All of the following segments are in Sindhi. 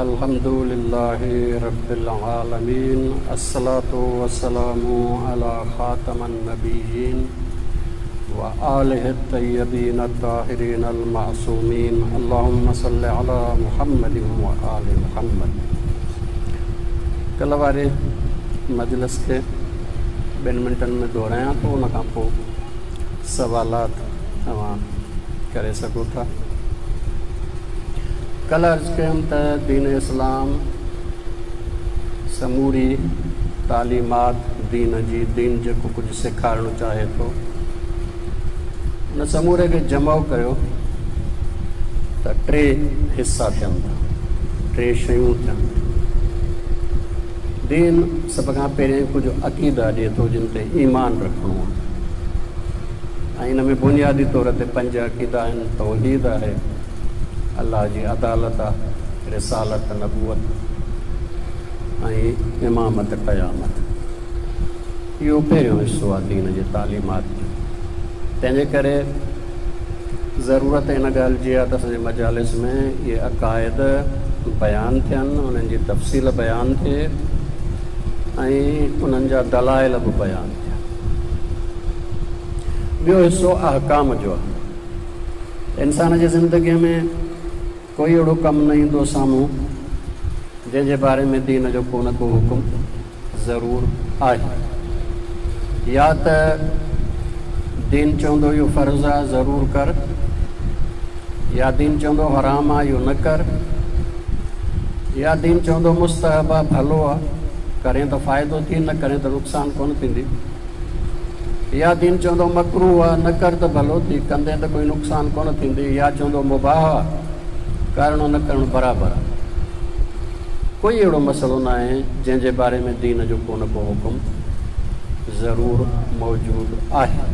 الحمد لله رب العالمين الصلاة والسلام علي خاتم النبيين وآله الطيبين الطاهرين المعصومين اللهم صل علي محمد وآل محمد ڪلهه واري مجلس کي ٻن منٽن ۾ دهرايان ٿو ان کان پوء سوالات اوهان ڪري سگهو ٿا. ڪلهه عرض ڪيم ته دين اسلام سموري تعليمات دين جي، دين جيڪو ڪجهه سيکارڻ چاهي ٿو ان سموري کي جمع ڪيو ته ٽي حصا ٿين ٿا، ٽي شيون ٿين ٿيون. دين سڀ کان پهرين ڪجهه عقيدا ڏئي ٿو جن تي ايمان رکڻو آهي. ۽ ان ۾ بنيادي طور تي پنج عقيدا آهن، توحيد آهي، الله جي عدالت آهي، رسالت، نبوت ۽ امامت قيامت. اهو پهريون حصو آهي دين جي تعليمات جو. تنهن جي ڪري ضرورت ان ڳالهه جي آهي ته اسان جي مجالس ۾ اهي عقائد بيان ٿين، انهن جي تفصيل بيان ٿئي ۽ انهن جا دلائل به بيان ٿين. ٻيو حصو احڪام جو آهي. انسان جي زندگيء ۾ ڪوئي اهڙو ڪم نه ايندو سامهون جنهن جي باري ۾ دين جو ڪو نه ڪو حڪم ضرور آهي. يا ته دين چوندو اهو فرض آهي ضرور ڪر، يا دين چوندو حرام آهي اهو نه ڪر، يا دين چوندو مستحب آهي ڀلو آهي ڪرين ته فائدو ٿي نه ڪرين ته نقصان ڪونه ٿيندي. يا دين چوندو مڪروه آ، نه ڪر ته ڀلو ٿي، ڪندين ته ڪوئي نقصان ڪونه ٿيندي، يا چوندو مباح آ، ڪرڻو نه ڪرڻ برابر آ. ڪوئي اهڙو مسئلو ناهي جنهن جي باري ۾ دين جو ڪو نه ڪو حڪم ضرور موجود آهي.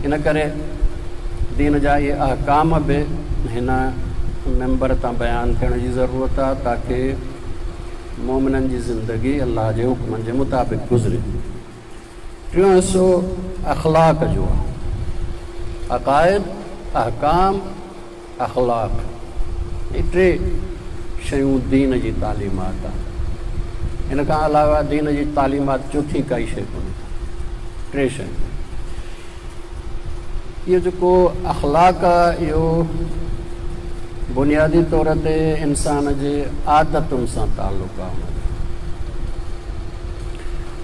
ان ڪري دين جا اهي احڪام به هن منبر تان بيان ٿيڻ جي ضرورت آ تاڪه مؤمنن جي زندگي الله جي حڪمن جي مطابق گذري. ٽيون حصو اخلاق جو آهي. عقائد، احڪام، اخلاق هي ٽي شيون دين جي تعليمات آهن. ان کان علاوه دين جي تعليمات چوٿين ڪائي شيء ڪونهي. ٽي شيون. اهو جيڪو اخلاق آهي اهو بنيادي طور تي انسان جي عادتن سان تعلق آهي ان جو.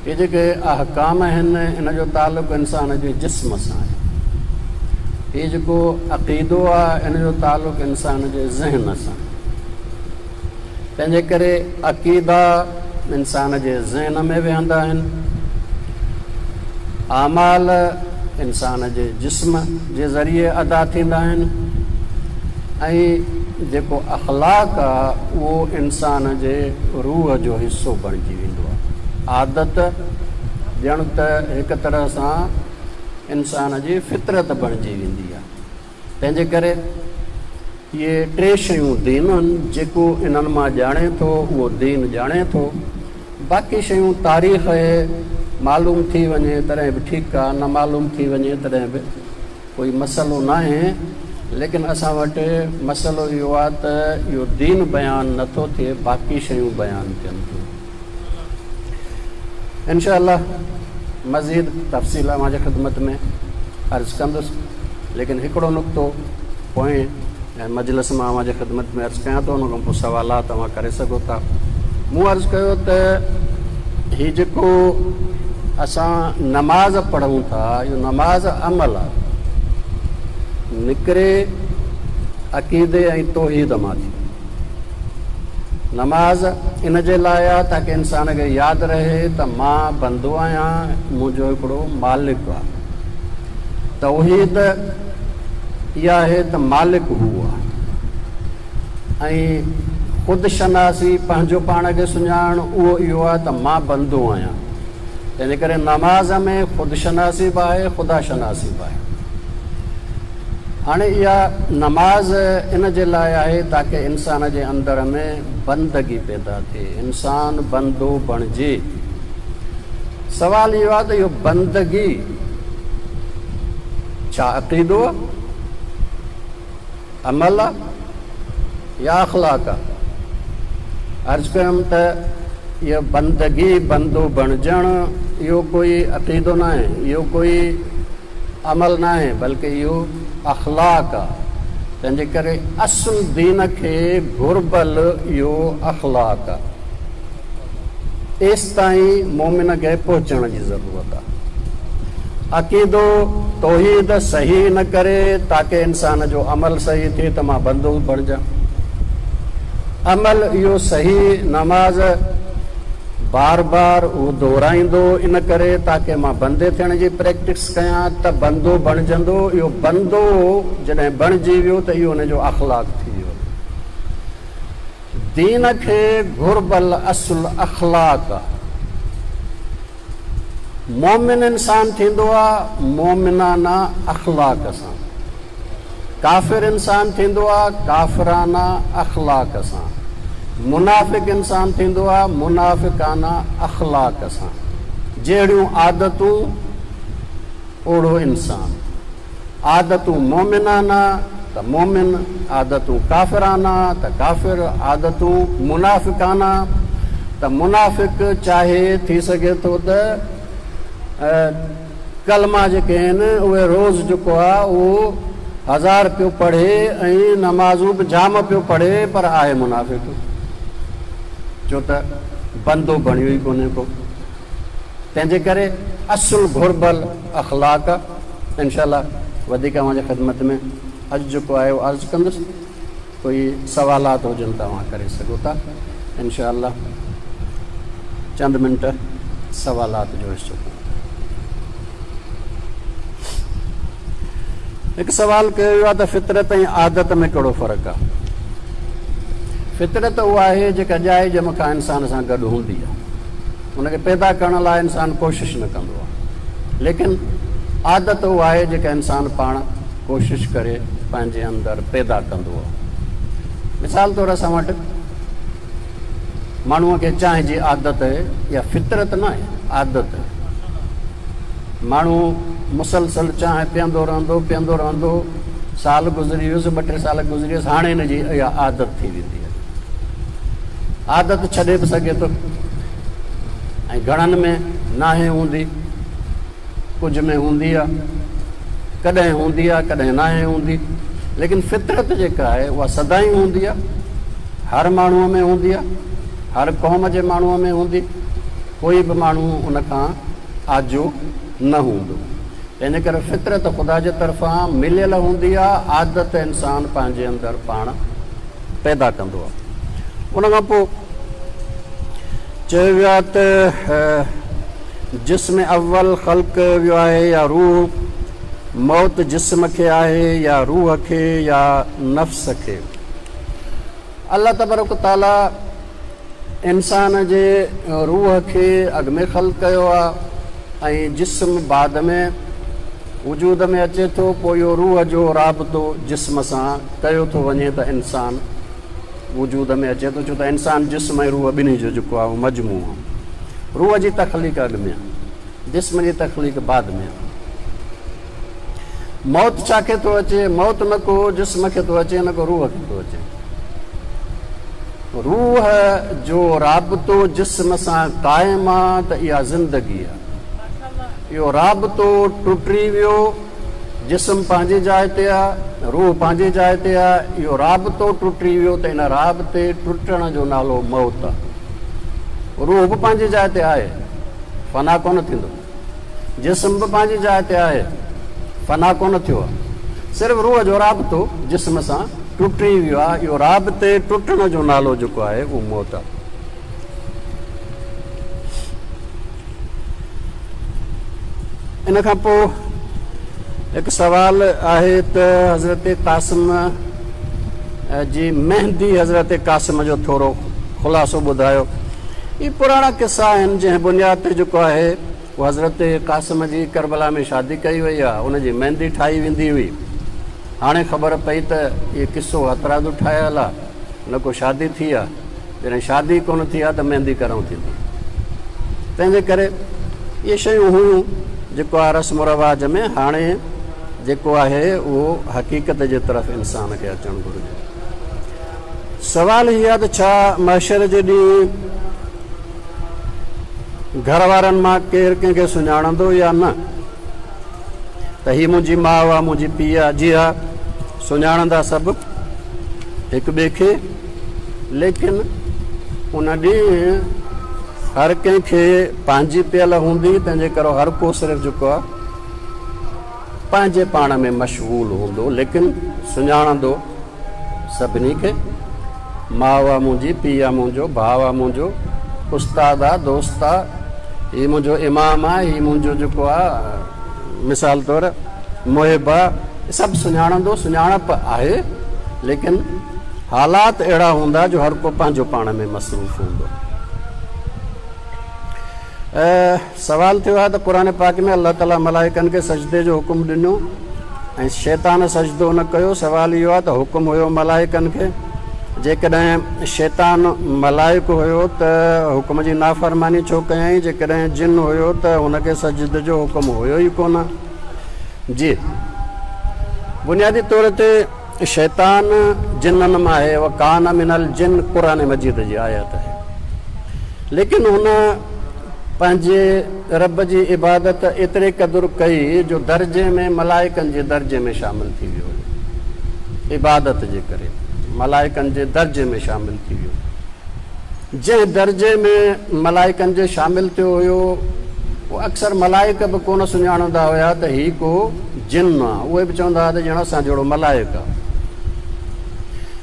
اهي جيڪي احڪام آهن ان جو تعلق انسان جي جسم سان آهي. هي جيڪو عقيدو آهي ان جو تعلق انسان جي ذهن سان آهي. تنهنجي ڪري عقيدا انسان جي ذهن ۾ ويهندا آهن، اعمال انسان جي جسم جي ذريعي ادا ٿيندا آهن ۽ جيڪو اخلاق آ اهو انسان جي روح جو حصو بڻجي ويندو آ. عادت ڄڻ ته هڪ طرح سان انسان جي فطرت بڻجي ويندي آ. تنهنجي ڪري اهي ٽي شيون دين آهن، جيڪو انهن مان ڄاڻي ٿو اهو دين ڄاڻي ٿو، باقي شيون تاريخ اهي معلوم ٿي وڃي تڏهن به ٺيڪ آ، نه معلوم ٿي وڃي تڏهن به ڪوئي مسئلو ناهي، ليڪن اسان وٽ مسئلو اهو آ ته اهو دين بيان نه ٿو ٿئي باقي شيون بيان ٿين ٿيون. انشاء الله مزيد تفصيل اوهان جي خدمت ۾ عرض ڪندس ليڪن هڪڙو نقطو پوئين مجلس مان اوهان جي خدمت ۾ عرض ڪيان ٿو ان کان پوء سوالات اوهان ڪري سگهو ٿا مون عرض ڪيو ته هي جيڪو اسان نماز پڙهون ٿا اهو نماز عمل آهي نڪري عقيدي ۽ توحيد مان ٿي نماز ان جي لاء آ تاڪه انسان کي ياد رهي ته مان بندو آهيان منهنجو هڪڙو مالڪ آ. توحيد اها آهي ته مالڪ هو آ ۽ خود شناسي پنهنجو پاڻ کي سڃاڻڻ اهو اهو آ ته مان بندو آهيان. تنهنجي ڪري نماز ۾ خود شناسي به آهي خدا شناسي به آهي. هاڻي اها نماز ان جي لاء آهي تاڪه انسان جي اندر ۾ بندگي پيدا ٿئي، انسان بندو بڻجي. سوال اهو آهي ته اهو بندگي ڇا عقيدو آهي، عمل آهي يا اخلاق آهي؟ عرض ڪيم ته اهو بندگي، بندو بڻجڻ، اهو ڪوئي عقيدو ناهي، اهو ڪوئي عمل ناهي، بلڪه اهو اخلاق آ. تنهنجي ڪري اصل دين کي گهربل اهو اخلاق آ. ايستائين مؤمن کي پهچڻ جي ضرورت آ. عقيدو توحيد صحيح نه ڪري تاڪه انسان جو عمل صحيح ٿئي ته مان بندو بڻجان. عمل اهو صحيح نماز بار بار اهو دهرائيندو ان ڪري تاڪه مان بندي ٿيڻ جي پريڪٽس ڪيان ته بندو بڻجندو. اهو بندو جڏهن بڻجي ويو ته اهو ان جو اخلاق ٿي ويو. دين کي گهربل اصل اخلاق آ. مؤمن انسان ٿيندو آ مؤمنانه اخلاق سان. ڪافر انسان ٿيندو آ ڪافرانه اخلاق سان. منافق انسان ٿيندو آ منافقانه اخلاق سان. جهڙيون عادتون اوڙو انسان. عادتون مؤمنانه ته مؤمن، عادتون ڪافرانه ته ڪافر، عادتون منافقانه ته منافق. چاهي ٿي سگهي ٿو ته ڪلما جيڪي آهن اهي روز جيڪو آهي اهو هزار پيو پڙهي ۽ نمازون به جام پيو پڙهي پر آهي منافق، ڇو ته بندو بڻيو ئي ڪونهي ڪو. تنهن جي ڪري اصل گهربل اخلاق. انشاء الله وڌيڪ اوهان جي خدمت ۾ اڄ جيڪو آهي اهو عرض ڪندس. ڪوئي سوالات هجن ته اوهان ڪري سگهو ٿا. انشاء الله چند منٽ سوالات جو حصو ڪيون ٿا. هڪ سوال ڪيو ويو آهي ته فطرت ۽ عادت ۾ ڪهڙو فرق آهي؟ فطرت اها آهي جيڪا ڄائي ڄم کان انسان سان گڏ هوندي آهي. ان کي پيدا ڪرڻ لاء انسان ڪوشش نه ڪندو آهي. ليڪن عادت اها آهي جيڪا انسان پاڻ ڪوشش ڪري پنهنجي اندر پيدا ڪندو آهي. مثال طور اسان وٽ ماڻهوء کي چانهه جي عادت آهي، اها فطرت نه آهي، عادت آهي. ماڻهو مسلسل چانهه پيئندو رهندو، پيئندو رهندو، سال گذري ويس، ٻه ٽي سال گذري ويس، هاڻي هن جي اها عادت ٿي ويندي آهي. عادت ڇڏي به سگهي ٿو ۽ گهڻن ۾ ناهي هوندي، ڪجهه ۾ هوندي آ، ڪڏهن هوندي آ، ڪڏهن ناهي هوندي، ليڪن فطرت جيڪا آهي اها سدائين هوندي آ، هر ماڻهوء ۾ هوندي آ، هر قوم جي ماڻهوء ۾ هوندي، ڪوئي به ماڻهو ان کان آجو نه هوندو. تنهنجي ڪري فطرت خدا جي طرفان مليل هوندي آ، عادت انسان پنهنجي اندر پاڻ پيدا ڪندو آ. ان کان پوء چيو ويو آهي ته جسم اول خلق ڪيو ويو آهي يا روح، موت جسم کي آهي يا روح کي يا نفس کي. الله تبارڪ و تعاليٰ انسان جي روح کي اڳ ۾ خلق ڪيو آهي ۽ جسم بعد ۾ وجود ۾ اچي ٿو، پوء اهو روح جو رابطو جسم سان ڪيو ٿو وڃي ته انسان وجود ۾ اچي ٿو، ڇو ته انسان جسم ۽ روح ٻنهي جو جيڪو آهي اهو مجموعو آهي. روح جي تخليق اڳ ۾ آهي، جسم جي تخليق بعد ۾ آهي. موت ڇا کي ٿو اچي؟ موت نه ڪو جسم کي ٿو اچي نه ڪو روح کي ٿو اچي. روح جو رابطو جسم سان قائم آ ته اها زندگي آ. اهو رابطو ٽٽي ويو، جسم پنهنجي جاء تي آ، روح پنهنجي جاء تي آ، اهو رابطو ٽٽي ويو ته ان رابطي ٽٽڻ جو نالو موت آ. روح به پنهنجي جاء تي آهي، فنا ڪونه ٿيندو. جسم به پنهنجي جاء تي آهي، فنا ڪونه ٿيو آهي. صرف روح جو رابطو جسم سان ٽٽي ويو آهي. اهو رابطي ٽٽڻ جو نالو جيڪو آهي اهو موت آهي. ان کان پوء هڪ سوال آهي ته حضرت قاسم جي مهندي حضرت قاسم جو ٿورو خلاصو ٻڌايو. هي پراڻا قصا آهن جنهن بنياد تي جيڪو آهي اهو حضرت قاسم جي ڪربلا ۾ شادي ڪئي وئي آهي ان جي مهندي ٺاهي ويندي هئي. هاڻي خبر پئي ته اهي قصو هٿرادو ٺاهيل آهي نه ڪو شادي ٿي آهي. جڏهن شادي ڪونه ٿي آهي ته مهندي ڪڏهن ٿيندي. تنهن جي ڪري اهي شيون هيون جيڪو آهي رسم و رواج ۾ هاڻي جيڪو آهي اهو حقيقت جي طرف انسان کي اچڻ گهرجي. سوال هي آهي ته ڇا محشر جي ڏينهن گهر وارن مان ڪير ڪنهن کي سڃاڻندو يا نه؟ ته هي منهنجي ماء آ، منهنجي پيء آ. جي ها، سڃاڻندا سڀ هڪ ٻئي کي، ليڪن ان ڏينهن هر ڪنهن کي پنهنجي پيل هوندي، تنهن جي ڪري هر ڪو صرف جيڪو آ پنهنجي پاڻ ۾ مشغول هوندو، ليڪن سڃاڻندو سڀني کي، ماء آ منهنجي، پيء آ منهنجو، ڀاء آ منهنجو، استاد آ، دوست آ، هي منهنجو امام آ، هي منهنجو جيڪو آ مثال طور محب آ، سڀ سڃاڻندو، سڃاڻپ آهي، ليڪن حالات اهڙا هوندا جو هر ڪو پنهنجو پاڻ ۾ مصروف هوندو. سوال ٿيو آهي ته قرآن پاڪ ۾ الله تعالي ملائڪن کي سجدي جو حڪم ڏنو ۽ شيطان سجدو نه ڪيو، سوال اهو آهي ته حڪم هيو ملائڪن کي، جيڪڏهن شيطان ملائڪ هيو ته حڪم جي نافرماني ڇو ڪيائين، جيڪڏهن جن هيو ته هن کي سجدي جو حڪم هيو ئي ڪونه. جي بنيادي طور تي شيطان جنن مان آهي، وڪان من الجن قرآن مجيد جي آيت آهي، ليڪن هن پنهنجي رب جي عبادت ايتري قدر ڪئي جو درجي ۾ ملائڪن جي درجي ۾ شامل ٿي ويو هيو، عبادت جي ڪري ملائڪن جي درجي ۾ شامل ٿي ويو. جنهن درجي ۾ ملائڪن جي شامل ٿيو هيو، اهو اڪثر ملائڪ به ڪونه سڃاڻندا هيا ته هي ڪو جن آ، اهي به چوندا هئا ته ڄڻ اسان جهڙو ملائڪ آ.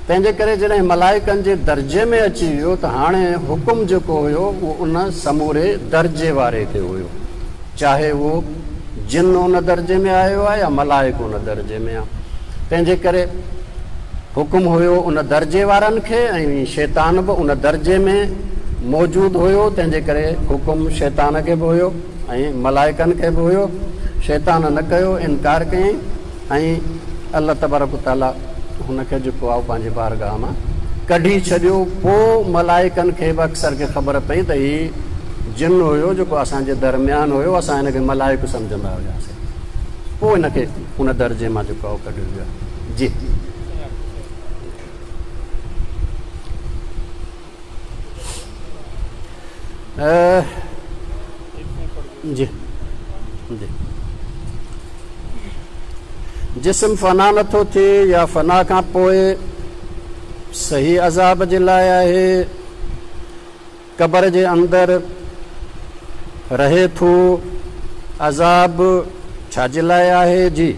تنهن جي ڪري جڏهن ملائڪن جي درجي ۾ اچي ويو ته هاڻي حڪم جيڪو هيو اهو ان سموري درجي واري کي هيو، چاهي اهو جن ان درجي ۾ آيو آ يا ملائڪ ان درجي ۾ آ. تنهن جي ڪري حڪم هيو ان درجي وارن کي ۽ شيطان به ان درجي ۾ موجود هيو، تنهن جي ڪري حڪم شيطان کي به هيو ۽ ملائڪن کي به هيو. شيطان نه ڪيو، انڪار ڪيائين ۽ الله تبارڪ و تعاليٰ هن کي جيڪو آهي پنهنجي بارگاهه مان ڪڍي ڇڏيو. پوء ملائڪن کي به اڪثر کي خبر پئي ته هي جن هيو جيڪو اسان جي درميان هيو، اسان هن کي ملائڪ سمجهندا هياسين. پوء هن کي ان درجي مان جيڪو آهي ڪڍيو ويو آهي. جي. جي جي جسم فنا نٿو ٿئي يا فنا کان پوء صحيح عذاب جي لاء آهي. قبر جي اندر رهي ٿو عذاب ڇا جي لاء آهي؟ جي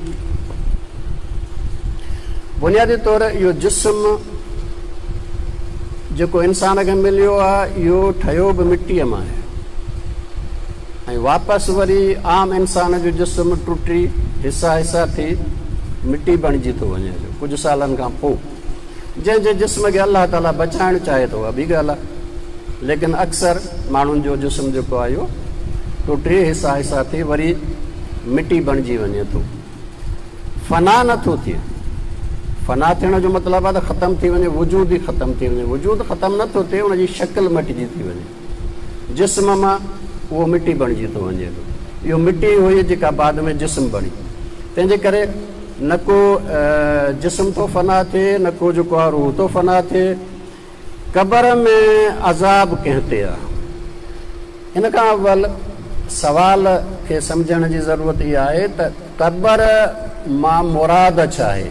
بنيادي طور اهو جسم جيڪو انسان کي مليو آهي اهو ٺهيو به مٽيء مان آهي ۽ واپس وري عام انسان جو جسم ٽٽي حصا حصا ٿي مٽي بڻجي ٿو وڃي ڪجهه سالن کان پوء. جنهن جي جسم کي الله تعاليٰ بچائڻ چاهي ٿو اها ٻي ڳالهه آهي، ليڪن اڪثر ماڻهن جو جسم جيڪو آهي اهو ٽٽي حصا حصا ٿي وري مٽي بڻجي وڃي ٿو، فنا نه ٿو ٿئي. فنا ٿيڻ جو مطلب آهي ته ختم ٿي وڃي، وجود ئي ختم ٿي وڃي. وجود ختم نه ٿو ٿئي، ان جي شڪل مٽجي ٿي وڃي. جسم مان اهو مٽي بڻجي ٿو وڃي. اهو مٽي هئي جيڪا بعد ۾ جسم بڻي. تنهن جي ڪري نه ڪو جسم ٿو فنا ٿئي، نه ڪو جيڪو آ روح ٿو فنا ٿئي. قبر ۾ عذاب ڪنهن تي آ؟ ان کان اول سوال کي سمجهڻ جي ضرورت اها آهي ته قبر مان مراد ڇا آهي؟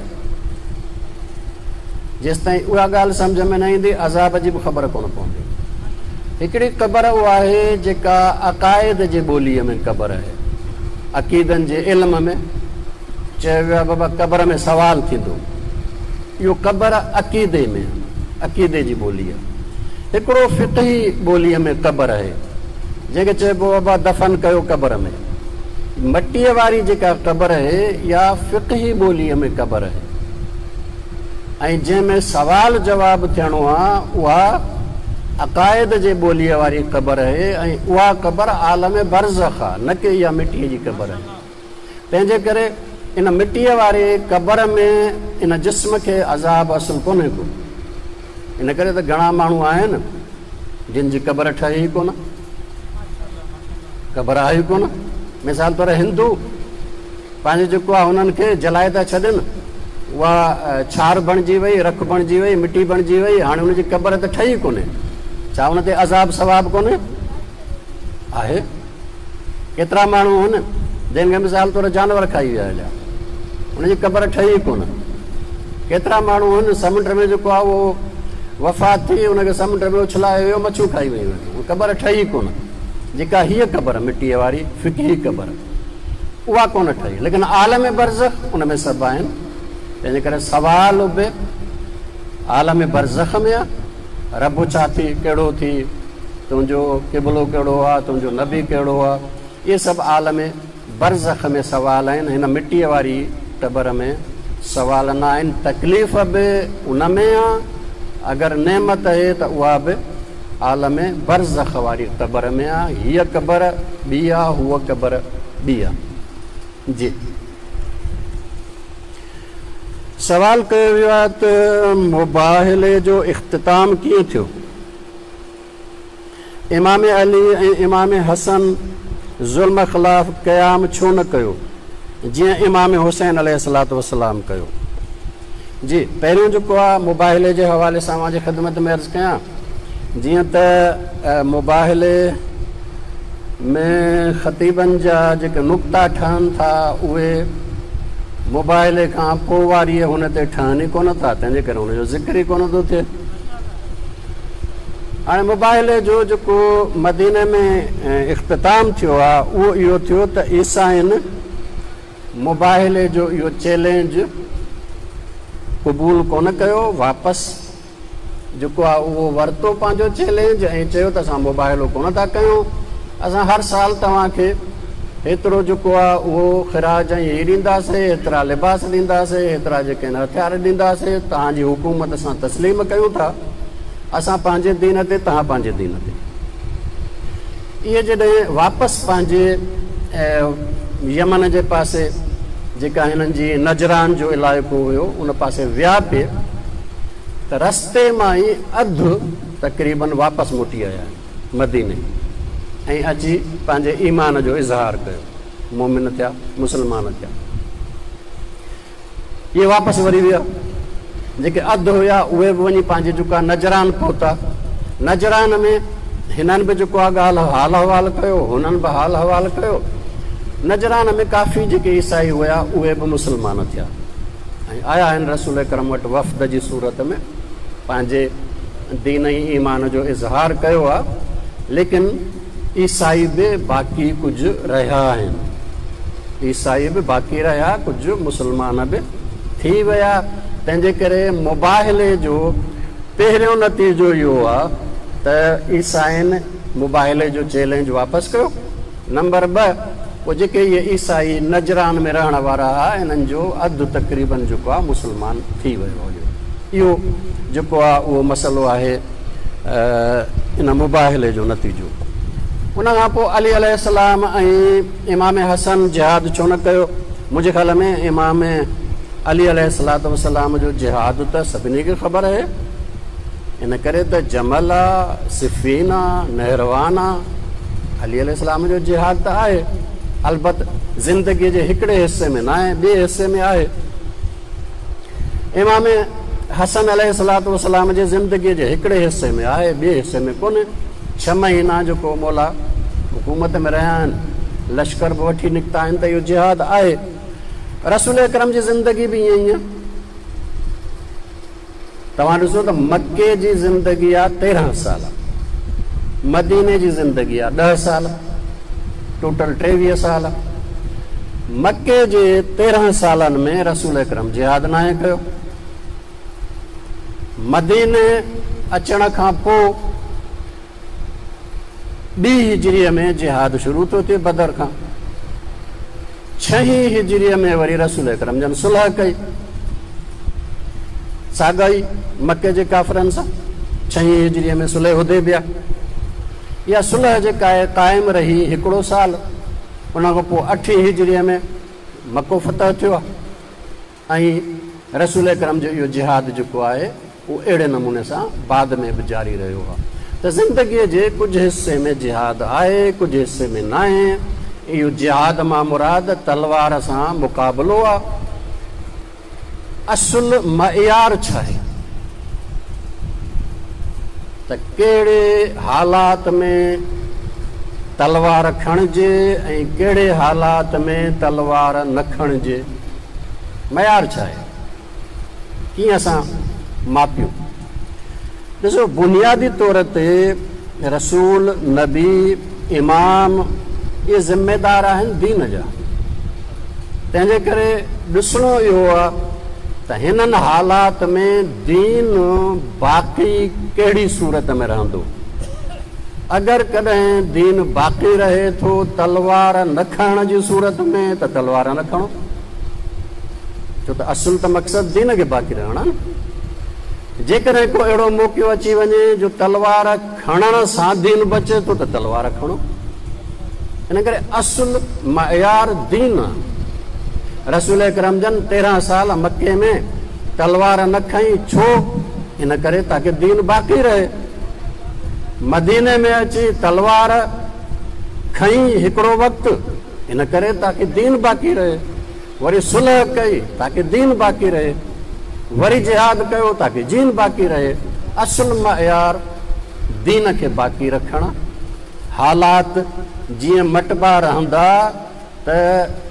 جيستائين اها ڳالهه سمجهه ۾ نه ايندي عذاب جي به خبر ڪونه پوندي. هڪڙي قبر اها آهي جيڪا عقائد جي ٻوليء ۾ قبر آهي. عقيدن جي علم ۾ چيو ويو آهي بابا قبر ۾ سوال ٿيندو. اهو قبر عقيدي ۾ عقيدي جي ٻولي آهي. هڪڙو فقهي ٻوليء ۾ قبر آهي جنهن کي چئبو آهي بابا دفن ڪيو قبر ۾. مٽيء واري جيڪا قبر آهي اها فقهي ٻوليء ۾ قبر آهي ۽ جنهن ۾ سوال جواب ٿيڻو آهي اها عقائد جي ٻوليء واري قبر آهي ۽ اها قبر عالم برزخ آهي نه ڪي اها مٽيء جي قبر آهي. تنهن جي ڪري ان مٽيء واري قبر ۾ ان جسم کي عذاب اصل ڪونهي ڪو. ان ڪري ته گهڻا ماڻهو آهن جن جي قبر ٺهي ئي ڪونه، قبر آهي ئي ڪونه. مثال طور هندو پنهنجو جيڪو آهي هنن کي جلائي ٿا ڇڏين، اها ڇار بڻجي وئي، رک بڻجي وئي، مٽي بڻجي وئي، هاڻي ان جي قبر ته ٺهي ڪونهي، ڇا ان تي عذاب ثواب ڪونهي؟ آهي. ڪيترا ماڻهو هن جن کي مثال طور جانور کائي ويا هليا، ان جي قبر ٺهي ئي ڪونه. ڪيترا ماڻهو هن سمنڊ ۾ جيڪو آهي اهو وفات ٿي، ان کي سمنڊ ۾ اڇلايو ويو، مڇيون کائي ويون آهن، اها قبر ٺهي ئي ڪونه. جيڪا هيء قبر مٽيء واري فقهي قبر اها ڪونه ٺهي، ليڪن عالم برزخ ان ۾ سڀ آهن، تنهنجي ڪري سوال به عالم برزخ ۾ آهي، رب ڇا ٿي، ڪهڙو ٿي، تنهنجو قبلو ڪهڙو آ، تنهنجو نبي ڪهڙو آ، اهي سڀ عالم برزخ ۾ سوال آهن، هن مٽيء واري قبر ۾ سوال نه آهن، تڪليف به ان ۾ آ، اگر نعمت اهي ته اها به عالم برزخ واري قبر ۾ آ، هيء قبر ٻي آ، هوء قبر ٻي آ. جي. سوال ڪيو ويو آهي ته مباهلي جو اختتام ڪيئن ٿيو؟ امام علي ۽ امام حسن ظلم خلاف قيام ڇو نه ڪيو جيئن امام حسين عليه الصلوة والسلام ڪيو؟ جي پهريون جيڪو آ مباهلي جي حوالي سان اوهان جي خدمت ۾ عرض ڪيان جيئن ته مباهلي ۾ خطيبن جا جيڪي نقطا ٺهن ٿا اهي مباهلي کان پوء واريء هن تي ٺهن ئي ڪونه ٿا تنهنجي ڪري هن جو ذڪر ئي ڪونه ٿو ٿئي. هاڻي مباهلي جو جيڪو مديني ۾ اختتام ٿيو آهي اهو اهو ٿيو ته عيسائين مباهلي جو اهو چئلينج قبول ڪونه ڪيو، واپس جيڪو آهي اهو ورتو پنهنجو چئلينج ۽ چيو ته اسان مباهلو ڪونه ٿا ڪيون، اسان هر سال توهان کي هيترو جيڪو آهي اهو خراج ۽ هي ڏينداسي، هيترا لباس ڏينداسي، هيترا جيڪي آهن هٿيار ڏينداسي، توهان جي حڪومت اسان تسليم ڪيون ٿا، اسان پنهنجي دين تي، توهان پنهنجي دين تي. اهي جڏهن واپس پنهنجي يمن جي پاسي جيڪا هنن جي نجران جو علائقو هيو ان پاسي ويا پئي ته رستي مان ئي اڌ تقريبن واپس موٽي آيا آهن. مديني ۽ اچي پنهنجي ايمان جو اظهار ڪيو، مؤمن ٿيا، مسلمان ٿيا. اهي واپس وري ويا. جيڪي اڌ هيا اهي به وڃي پنهنجي جيڪو آهي نجران پهتا. نجران ۾ هنن به جيڪو آهي ڳالهه حال احوال ڪيو، هنن به حال احوال ڪيو. نجران ۾ ڪافي جيڪي عيسائي هيا اهي به مسلمان ٿيا ۽ آيا آهن رسول اڪرم وٽ وفد جي صورت ۾. پنهنجي دين ۽ ايمان جو اظهار ڪيو آ ليڪن عيسائي به باقي ڪجهه رهيا آهن عيسائي به باقي رهيا ڪجهه مسلمان به ٿي ويا تنهن جي ڪري مباهلي جو پهريون نتيجو اهو آ ته عيسائين مباهلي جو چئلينج واپس ڪيو نمبر ٻه پوء جيڪي اهي عيسائي نجران ۾ رهڻ وارا ها انهن جو اڌ تقريبن جيڪو آهي مسلمان ٿي ويو هليو. اهو جيڪو آهي اهو مسئلو آهي ان مباهلي جو نتيجو. ان کان پوء علي عليه السلام ۽ امام حسن جهاد ڇو نه ڪيو؟ منهنجي خيال ۾ امام علي عليه الصلوة والسلام جو جهاد ته سڀني کي خبر آهي. ان ڪري ته جمل آ، صفين آ، نهروان آ، علي عليه السلام جو جهاد ته آهي، البت زندگيء جي هڪڙي حصي ۾ ناهي، ٻئي حصي ۾ آهي. امام حسن عليه الصلوة والسلام جي زندگيء جي هڪڙي حصي ۾ آهي، ٻئي حصي ۾ ڪونهي. ڇهه مهينا جيڪو مولا حڪومت ۾ رهيا آهن، لشڪر به وٺي نڪتا آهن ته اهو جهاد آهي. رسول اڪرم جي زندگي به ائين ئي آهي. توهان ڏسو ته مڪي جي زندگي آ 13 سال، مديني جي زندگي آ 10 سال، ٽوٽل 23 سال. مڪي جي 13 سالن ۾ رسول اڪرم جهاد ناهي ڪيو. مديني اچڻ کان پوء ٻي هجريء ۾ جهاد شروع ٿو ٿئي بدر کان. ڇهين هجريء ۾ وري رسول اڪرم جن صلح ڪئي ساڳا ئي مڪي جي ڪافرن سان. ڇهين هجريء ۾ صلح حديبيه. اها صلح جيڪا آهي قائم رهي هڪڙو سال. ان کان پوء اٺين هجريء ۾ مڪو فتح ٿيو آهي. ۽ رسول اڪرم جو اهو جهاد جيڪو آهي اهو اهڙي نموني سان بعد ۾ به جاري رهيو آهي ته زندگيء جي ڪجهه حصي ۾ جهاد آهي ڪجهه حصي ۾ ناهي. اهو جهاد مان مراد تلوار سان مقابلو آهي. اصل معيار ڇا آهي ته ڪهڙي حالات ۾ تلوار کڻجي ۽ ڪهڙي حالات ۾ تلوار نه کڻجي؟ معيار ڇا آهي؟ ڪيئن اسان ماپيون؟ ڏسو بنيادي طور تي رسول، نبي، امام اهي ذميدار آهن دين جا، تنهن جي ڪري ڏسڻو اهو آهي ته هنن حالات ۾ دين باقي ڪهڙي صورت ۾ رهندو. اگر ڪڏهن دين باقي رهي ٿو تلوار نه کڻڻ جي صورت ۾ ته تلوار نه کڻو، ڇو ته اصل ته مقصد دين کي باقي رهڻ آهي نه. جيڪڏهن ڪو اهڙو موقعو اچي وڃي جو تلوار کڻڻ سان دين بچي ٿو ته تلوار کڻو. ان ڪري اصل معيار دين آهي. رسول اڪرم جن 13 سال مڪي ۾ تلوار نه کنئي، ڇو؟ ان ڪري تاڪه دين باقي رهي. مديني ۾ اچي تلوار کنئي هڪڙو وقت، ان ڪري تاڪه دين باقي رهي. وري صلح ڪئي تاڪه دين باقي رهي، وري جهاد ڪيو تاڪه دين باقي رهي، اصل معيار دين کي باقي رکڻ، حالات جيئن مٽبا رهندا ته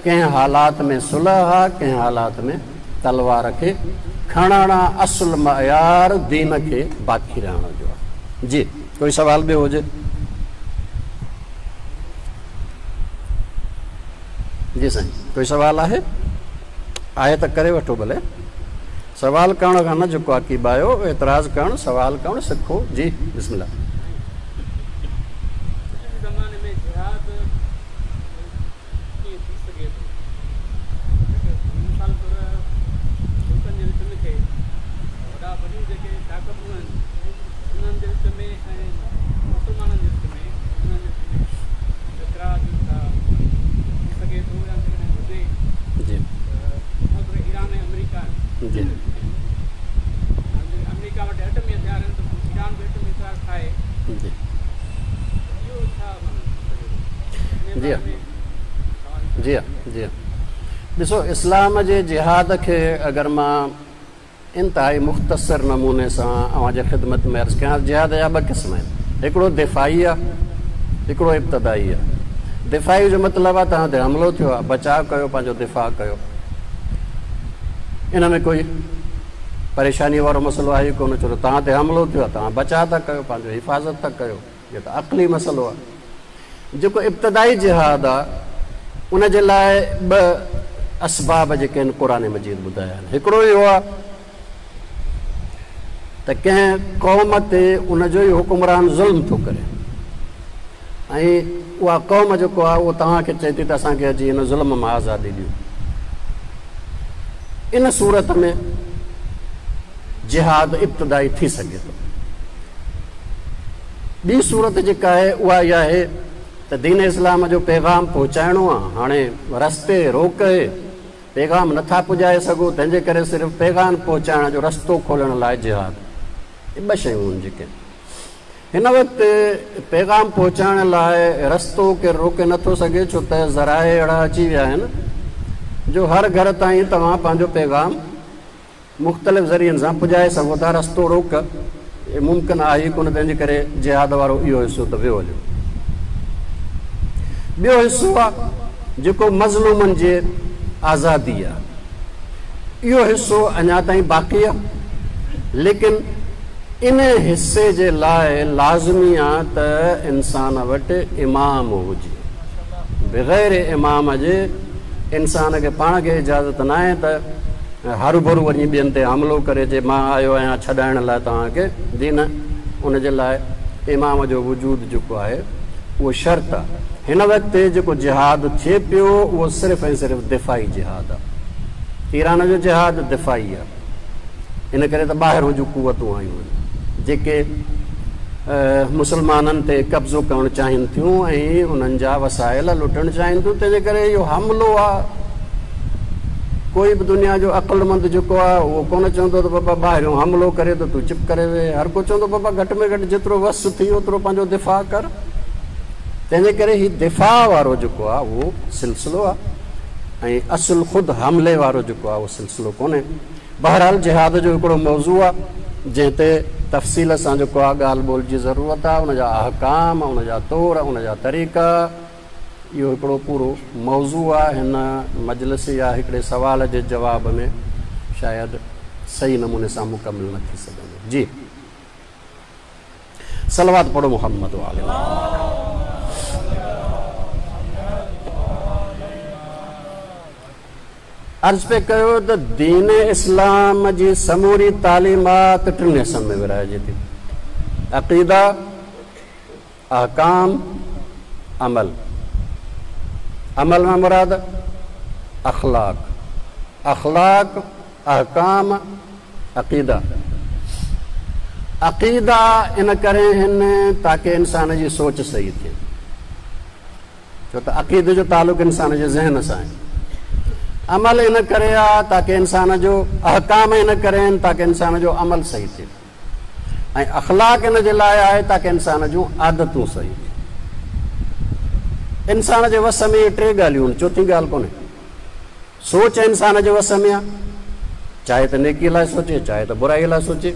ڪنهن حالات ۾ صلح آ ڪنهن حالات ۾ تلوار کي کڻڻ آ، اصل معيار دين کي باقي رهڻ جو آ. جي ڪوئي سوال ٻيو هجي. جي سائين ڪوئي سوال آهي؟ آهي ته ڪري وٺو ڀلي. سوال ڪرڻ کان نه جهڪو آ ڪيٻايو، اعتراض ڪرڻ، سوال ڪرڻ سکو. جي بسم الله. اڄ جي زماني ۾ جهاد ڪيئن ٿي سگهي ٿو؟ هڪ مثال طور ملڪن جي وچ ۾ ٿئي وڏا وڏيون جيڪي طاقتون آهن انهن جي وچ ۾ ۽ مسلمانن جي وچ ۾ انهن جي وچ ۾ ٽڪراء جو ڇا ٿي سگهي ٿو يا جيڪڏهن هجي جي ته مثال طور ايران ۽ آمريڪا آهن جي هاڻي جيڪڏهن آمريڪا وٽ ايٽمي هٿيار آهن ته پوء ايران به ايٽمي هٿيار ٺاهي جي ته اهو ڇا معنيٰ ٿي سگهي ٿو ان جي باري ۾ توهان جي جي جي ڏسو اسلام جي جهاد کي اگر مان انتهائي مختصر نموني سان اوهان جي خدمت ۾ عرض ڪيان، جهاد جا ٻه قسم آهن، هڪڙو دفاعي آهي، هڪڙو ابتدائي آهي. دفاعي جو مطلب آهي توهان تي حملو ٿيو آهي، بچاء ڪيو، پنهنجو دفاع ڪيو، ان ۾ ڪوئي پريشاني وارو مسئلو آهي ئي ڪونه، ڇو ته توهان تي حملو ٿيو آهي، توهان بچاء ٿا ڪيو، پنهنجو حفاظت ٿا ڪيو، اهو ته عقلي مسئلو آهي. جيڪو ابتدائي جهاد آ ان جي لاء ٻه اسباب جيڪي آهن قرآن مجيد ٻڌايا آهن. هڪڙو اهو آ ته ڪنهن قوم تي ان جو ئي حڪمران ظلم ٿو ڪري ۽ اها قوم جيڪو آ اهو توهان کي چئي ٿي ته اسان کي اچي هن ظلم مان آزادي ڏيو. ان صورت ۾ جهاد ابتدائي ٿي سگهي ٿو. ٻي صورت جيڪا آهي اها اها آهي ته دين اسلام جو پيغام پهچائڻو آهي، هاڻي رستي روڪ اهي، پيغام نٿا پڄائي سگهو، تنهن جي ڪري صرف پيغام پهچائڻ جو رستو کولڻ لاء جهاد. اهي ٻه شيون آهن جيڪي هن وقت پيغام پهچائڻ لاء رستو ڪير روڪي نٿو سگهي، ڇو ته ذرائع اهڙا اچي ويا آهن جو هر گهر تائين توهان پنهنجو پيغام مختلف ذريعن سان پڄائي سگهو ٿا، رستو روڪ ممڪن آهي ئي ڪونه، تنهن جي ڪري جهاد وارو اهو حصو ته ويو هليو. ٻيو حصو آ جيڪو مظلومن جي آزادي آ، اهو حصو اڃا تائين باقي آ، ليڪن ان حصي جي لاء لازمي آ ته انسان وٽ امام هجي، بغير امام جي انسان کي پاڻ کي اجازت ناهي ته هروڀرو وڃي ٻين تي حملو ڪري چئي مان آيو آهيان ڇڏائڻ لاء توهان کي دين، ان جي لاء امام جو وجود جيڪو آهي اهو شرط آهي. هن وقت جيڪو جهاد ٿئي پيو اهو صرف ۽ صرف دفاعي جهاد آهي. ايران جو جهاد دفاعي آهي. ان ڪري ته ٻاهرون جون قوتون آيون آهن جيڪي مسلمانن تي قبضو ڪرڻ چاهين ٿيون ۽ انهن جا وسائل لٽڻ چاهين ٿيون، تنهنجي ڪري اهو حملو آهي. ڪوئي به دنيا جو عقلمند جيڪو آهي اهو ڪونه چوندو ته بابا ٻاهريون حملو ڪري ته تون چپ ڪري ويهه، هر ڪو چوندو بابا گهٽ ۾ گهٽ جيترو وس ٿي اوترو پنهنجو دفاع ڪر. تنهنجي ڪري هي دفاع وارو جيڪو آهي اهو سلسلو آهي ۽ اصل خود حملي وارو جيڪو آهي اهو سلسلو ڪونهي. بهرحال جهاد جو هڪڙو موضوع آ جنهن تي تفصيل سان جيڪو آ ڳالهه ٻولهه جي ضرورت آ، ان جا احڪام، ان جا طور، ان جا طريقا، اهو هڪڙو پورو موضوع آ، هن مجلس يا هڪڙي سوال جي جواب ۾ شايد صحيح نموني سان مڪمل نه ٿي سگهندو. جي. صلوات پڙهو محمد وآل محمد. عرض پئي ڪيو ته دين اسلام جي سموري تعليمات ٽن حصن ۾ ورهائجي ٿي، عقيده، احڪام، عمل. عمل مان مراد اخلاق، اخلاق، احڪام، عقيده. عقيدا ان ڪري هن تاڪه انسان جي سوچ صحيح ٿئي. ڇو ته عقيدي جو تعلق انسان جي ذهن سان آهي. عمل ان ڪري آ تاڪه انسان جو احڪام ان ڪري آهن تاڪه انسان جو عمل صحيح ٿئي ۽ اخلاق ان جي لاء آهي تاڪه انسان جون عادتون صحيح ٿين. انسان جي وس ۾ اهي ٽي ڳالهيون آهن، چوٿين ڳالهه ڪونهي. سوچ انسان جي وس ۾ آ، چاهي ته نيڪي لاء سوچي، چاهي ته برائي لاء سوچي.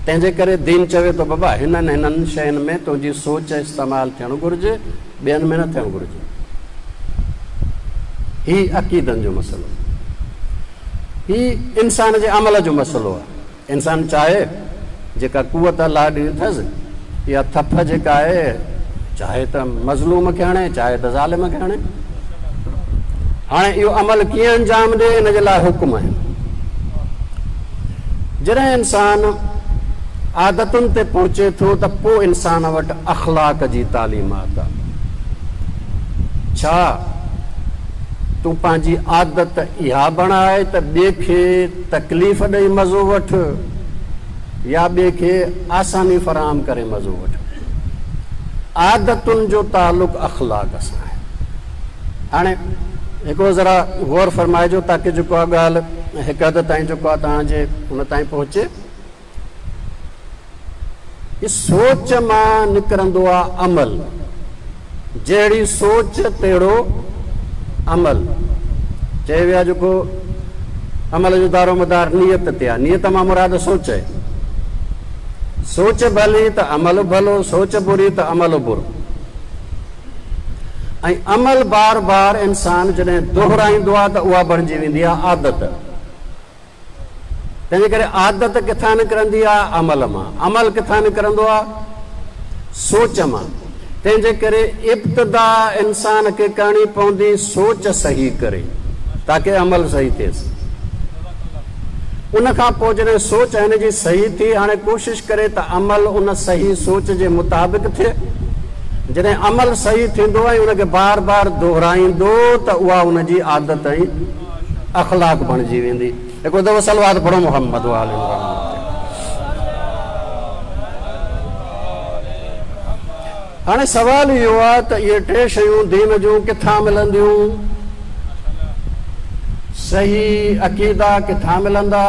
تنهن جي ڪري دين چوي ٿو بابا هنن هنن شين ۾ تنهنجي سوچ استعمال ٿيڻ گهرجي، ٻين ۾ نه ٿيڻ گهرجي. هي عقيدن جو مسئلو، هي انسان جي عمل جو مسئلو آ. انسان چاهي جيڪا قوت الله ڏني اٿس، اها ٿڦ جيڪا آهي، چاهي ته مظلوم کي هڻي، چاهي ته ظالم کي هڻي. هاڻي اهو عمل ڪيئن انجام ڏي، ان جي لاء حڪم آهن. جڏهن انسان عادتن تي پهچي ٿو ته پوء انسان وٽ اخلاق جي تعليمات آهي. ڇا تون پنهنجي عادت اها بڻاء ته ٻئي کي تڪليف ڏئي مزو وٺ يا ٻئي کي آساني فراهم ڪري مزو وٺ. عادتن جو تعلق اخلاق سان آهي. هاڻي هڪڙو ذرا غور فرمائجو تاڪه جيڪو آ ڳالهه هڪ حد تائين جيڪو آ توهان جي ان تائين پهچي. سوچ مان نڪرندو آ عمل، جهڙي سوچ تهڙو عمل. چيو ويو آ جيڪو عمل جو دارو مدار نيت تي آ، نيت مان مراد سوچ آهي. سوچ ڀلي ته عمل ڀلو، سوچ بري ته عمل برو. ۽ عمل بار بار انسان جڏهن دهرائيندو آ ته اها بڻجي ويندي آ عادت. تنهنجي ڪري عادت ڪٿان نڪرندي آ؟ عمل مان. عمل ڪٿان نڪرندو آ؟ سوچ مان. تنهنجي ڪري ابتدا انسان کي ڪرڻي پوندي سوچ صحيح ڪري تاڪه عمل صحيح ٿئيس. ان کان پوء جڏهن سوچ هن جي صحيح ٿي هاڻي ڪوشش ڪري ته عمل ان صحيح سوچ جي مطابق ٿئي. جڏهن عمل صحيح ٿيندو ۽ ان کي بار بار دهرائيندو ته اها ان جي عادت ۽ اخلاق بڻجي ويندي. هڪڙو دفعو صلوات پڙهو محمد وآل محمد تي. هاڻي سوال اهو آهي ته اهي ٽي شيون دين جون ڪٿان ملنديون؟ صحيح عقيدا ڪٿان ملندا؟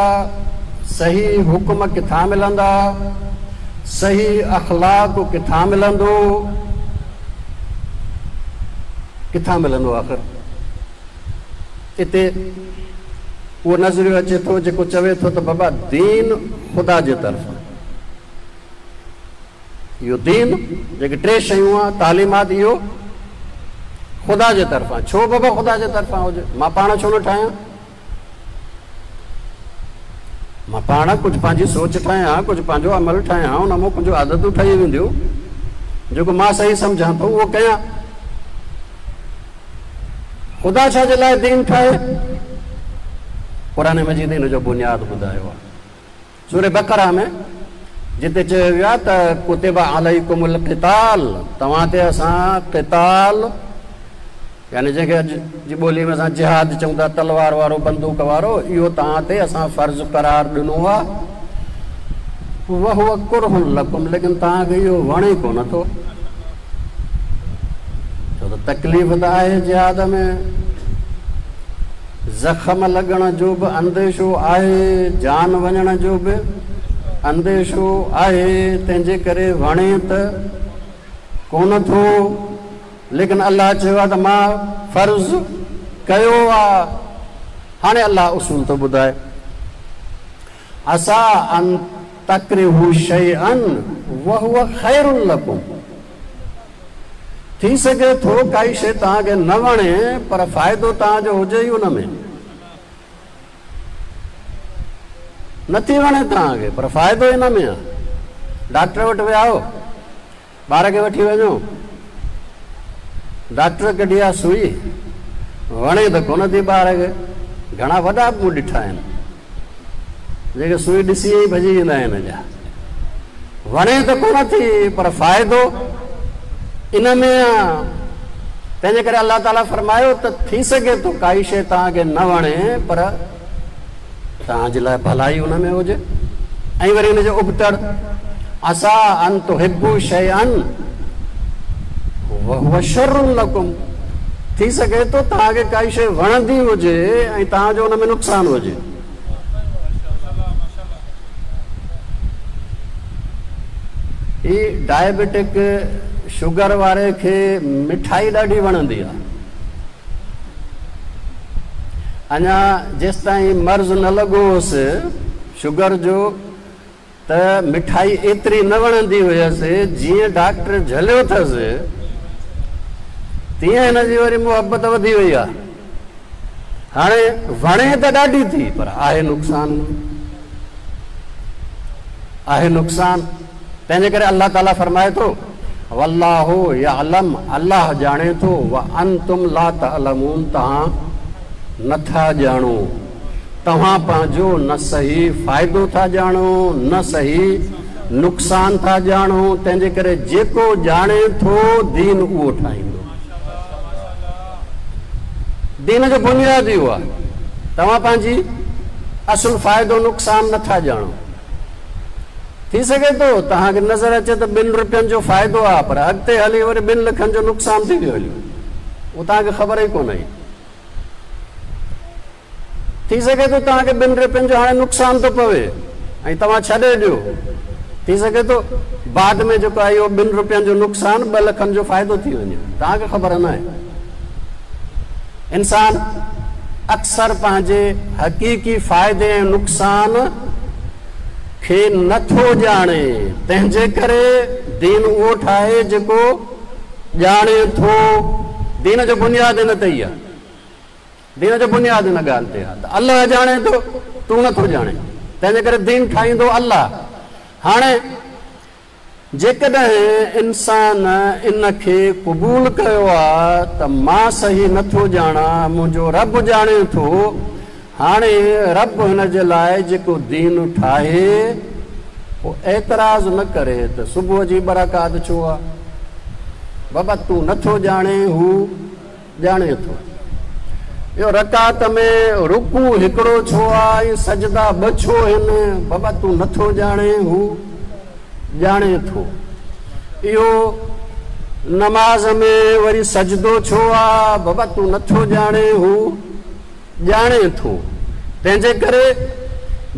صحيح حڪم ڪٿان ملندا؟ صحيح اخلاق ڪٿان ملندو؟ ڪٿان ملندو آخر؟ اتي اهو نظريو اچي ٿو جيڪو چوي ٿو ته بابا دين خدا جي طرفان اهو دين جيڪي ٽي شيون آ تعليمات اهو خدا جي طرفان ڇو بابا خدا جي طرفان هجي مان پاڻ ڇو نه ٺاهيان مان پاڻ ڪجهه پنهنجي سوچ ٺاهيان ڪجهه پنهنجو عمل ٺاهيان ان مان ڪجهه عادتون ٺهي وينديون جيڪو مان صحيح سمجهان ٿو اهو ڪيان خدا ڇا جي لاء دين ٺاهي؟ قرآن مجيد ان جو بنياد ٻڌايو آهي. سورة بقره ۾ جتي چيو ويو آهي ته ڪتب عليڪم القتال توهان تي اسان قتال يعني جنهن کي اڄ جي ٻولي ۾ اسان جهاد چئون ٿا تلوار وارو بندوق وارو اهو توهان تي اسان فرض قرار ڏنو آهي وهو ڪره لڪم ليڪن توهان کي اهو وڻي ڪونه ٿو. ڇو ته تڪليف ته آهي جهاد ۾، زخم لڳڻ جو به انديشو آهي، جان وڃڻ جو به انديشو آهي، تنهن جي ڪري وڻي ته ڪونه ٿو، ليڪن الله چيو آهي ته مان فرض ڪيو آهي. هاڻي الله اصول ٿو ٻڌائي. عسيٰ ان تڪرهوا شيئا وهو خير لڪم ٿي سگهي ٿو ڪائي شيء توهان کي نه وڻي پر فائدو توهان جو هجي ئي ان ۾. نٿي وڻي توهان کي پر فائدو ان ۾ آهي. ڊاڪٽر وٽ ويا آهيو، ٻار کي وٺي وڃو، ڊاڪٽر ڪڍي آ سوئي، وڻي ته ڪونه ٿي ٻار کي، گهڻا وڏا به مون ڏٺا آهن جيڪي سوئي ڏسي ئي ڀڄي ويندا آهن اڃا. وڻي ته ڪونه ٿي پر فائدو ان ۾ آ. تنهنجي ڪري الله تعاليٰ فرمايو ته ٿي سگهي ٿو ڪائي شيء توهان کي نه وڻي پر توهان جي لاء ڀلائي ان ۾ هجي ۽ وري ان جي ابتڙ عسيٰ ان تحبوا شيئا وهو شر لڪم ٿي سگهي ٿو توهان کي ڪائي شيء وڻندي هجي ۽ توهان جو ان ۾ نقصان هجي. هي ڊائبيٽڪ شگر واري کي مٺائي ڏاڍي وڻندي آ. اڃا جيستائين مرض نه لڳو هوس شگر جو ته مٺائي ايتري نه وڻندي هيس، جيئن ڊاڪٽر جهليو اٿس تيئن هن جي وري محبت وڌي وئي آ. هاڻي وڻي ته ڏاڍي ٿي پر آهي نقصان ان ۾، آهي نقصان. تنهنجي ڪري الله تعاليٰ فرمائي ٿو، والله يعلم الله ڄاڻي ٿو، وانتم لا تعلمون توهان نٿا ڄاڻو. توهان پنهنجو نه صحيح فائدو ٿا ڄاڻو نه صحيح نقصان ٿا ڄاڻو، تنهنجي ڪري جيڪو ڄاڻي ٿو دين اهو ٺاهيندو. دين جو بنياد اهو آهي. توهان پنهنجي اصل فائدو نقصان نه ٿا ڄاڻو. ٿي سگهي ٿو توهان کي نظر اچي ته ٻن روپين جو فائدو آهي پر اڳتي هلي وري ٻن لکن جو نقصان ٿي ويو هليو اهو توهان کي خبر ئي ڪونه هئي. ٿي سگهي ٿو توهان کي ٻن رپين جو هاڻي نقصان ٿو پوي ۽ توهان ڇڏي ڏيو. ٿي سگهي ٿو بعد ۾ جيڪو آهي اهو ٻن رپين جو نقصان ٻه لکن جو فائدو ٿي وڃي. توهان کي خبر ناهي. انسان اڪثر پنهنجي حقيقي فائدي ۽ نقصان کي نه ٿو ڄاڻي، تنهن جي ڪري دين اهو ٺاهي جيڪو ڄاڻي ٿو. دين جو بنياد ان تي ئي آهي. دين جو بنياد ان ڳالهه تي آهي ته الله ڄاڻي ٿو، تون نه ٿو ڄاڻين، تنهنجي ڪري دين ٺاهيندو الله. هاڻي جيڪڏهن انسان ان کي قبول ڪيو آهي ته مان صحيح نه ٿو ڄاڻان، منهنجو رب ڄاڻي ٿو، هاڻي رب هن جي لاء جيڪو دين ٺاهي، پوء اعتراض نه ڪري ته صبح جي ٻه رڪعت ڇو آهي؟ بابا تون نه ٿو ڄاڻين، هو ڄاڻي ٿو. اهو رڪعت ۾ رڪوع هڪڙو ڇو آ ۽ سجدا ٻه ڇو هن؟ بابا تون نه ٿو ڄاڻين، هو ڄاڻي ٿو. اهو نماز ۾ وري سجدو ڇو آ؟ بابا تون نه ٿو ڄاڻين، هو ڄاڻي ٿو. تنهنجي ڪري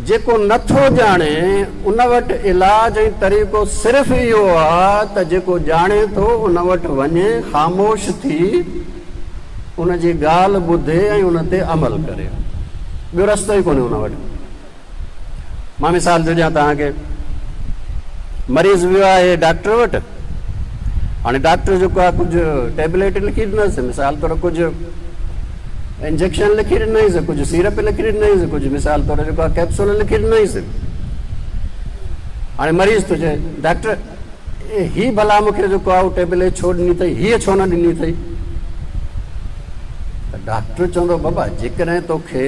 جيڪو نه ٿو ڄاڻي ان وٽ علاج ۽ طريقو صرف اهو آ ته جيڪو ڄاڻي ٿو ان وٽ وڃي خاموش ٿي ان جي ڳالهه ٻڌي ۽ ان تي عمل ڪري. ٻيو رستو ئي ڪونهي ان وٽ. مان مثال ٿو ڏيان توهان کي. مريض ويو آهي ڊاڪٽر وٽ. هاڻي ڊاڪٽر جيڪو آهي ڪجهه ٽيبليٽ لکي ڏنس، مثال طور ڪجهه انجيڪشن لکي ڏنائينس، ڪجهه سيرپ لکي ڏنائينس، ڪجهه مثال طور جيڪو آهي ڪيپسول لکي ڏنائينس. هاڻي مريض ٿو چئي ڊاڪٽر هي ڀلا مون کي جيڪو آهي ٽيبليٽ ڇو ڏني اٿئي، هيء ڇو نه ڏني اٿئي؟ ته ڊاڪٽر چوندو بابا جيڪڏهن توکي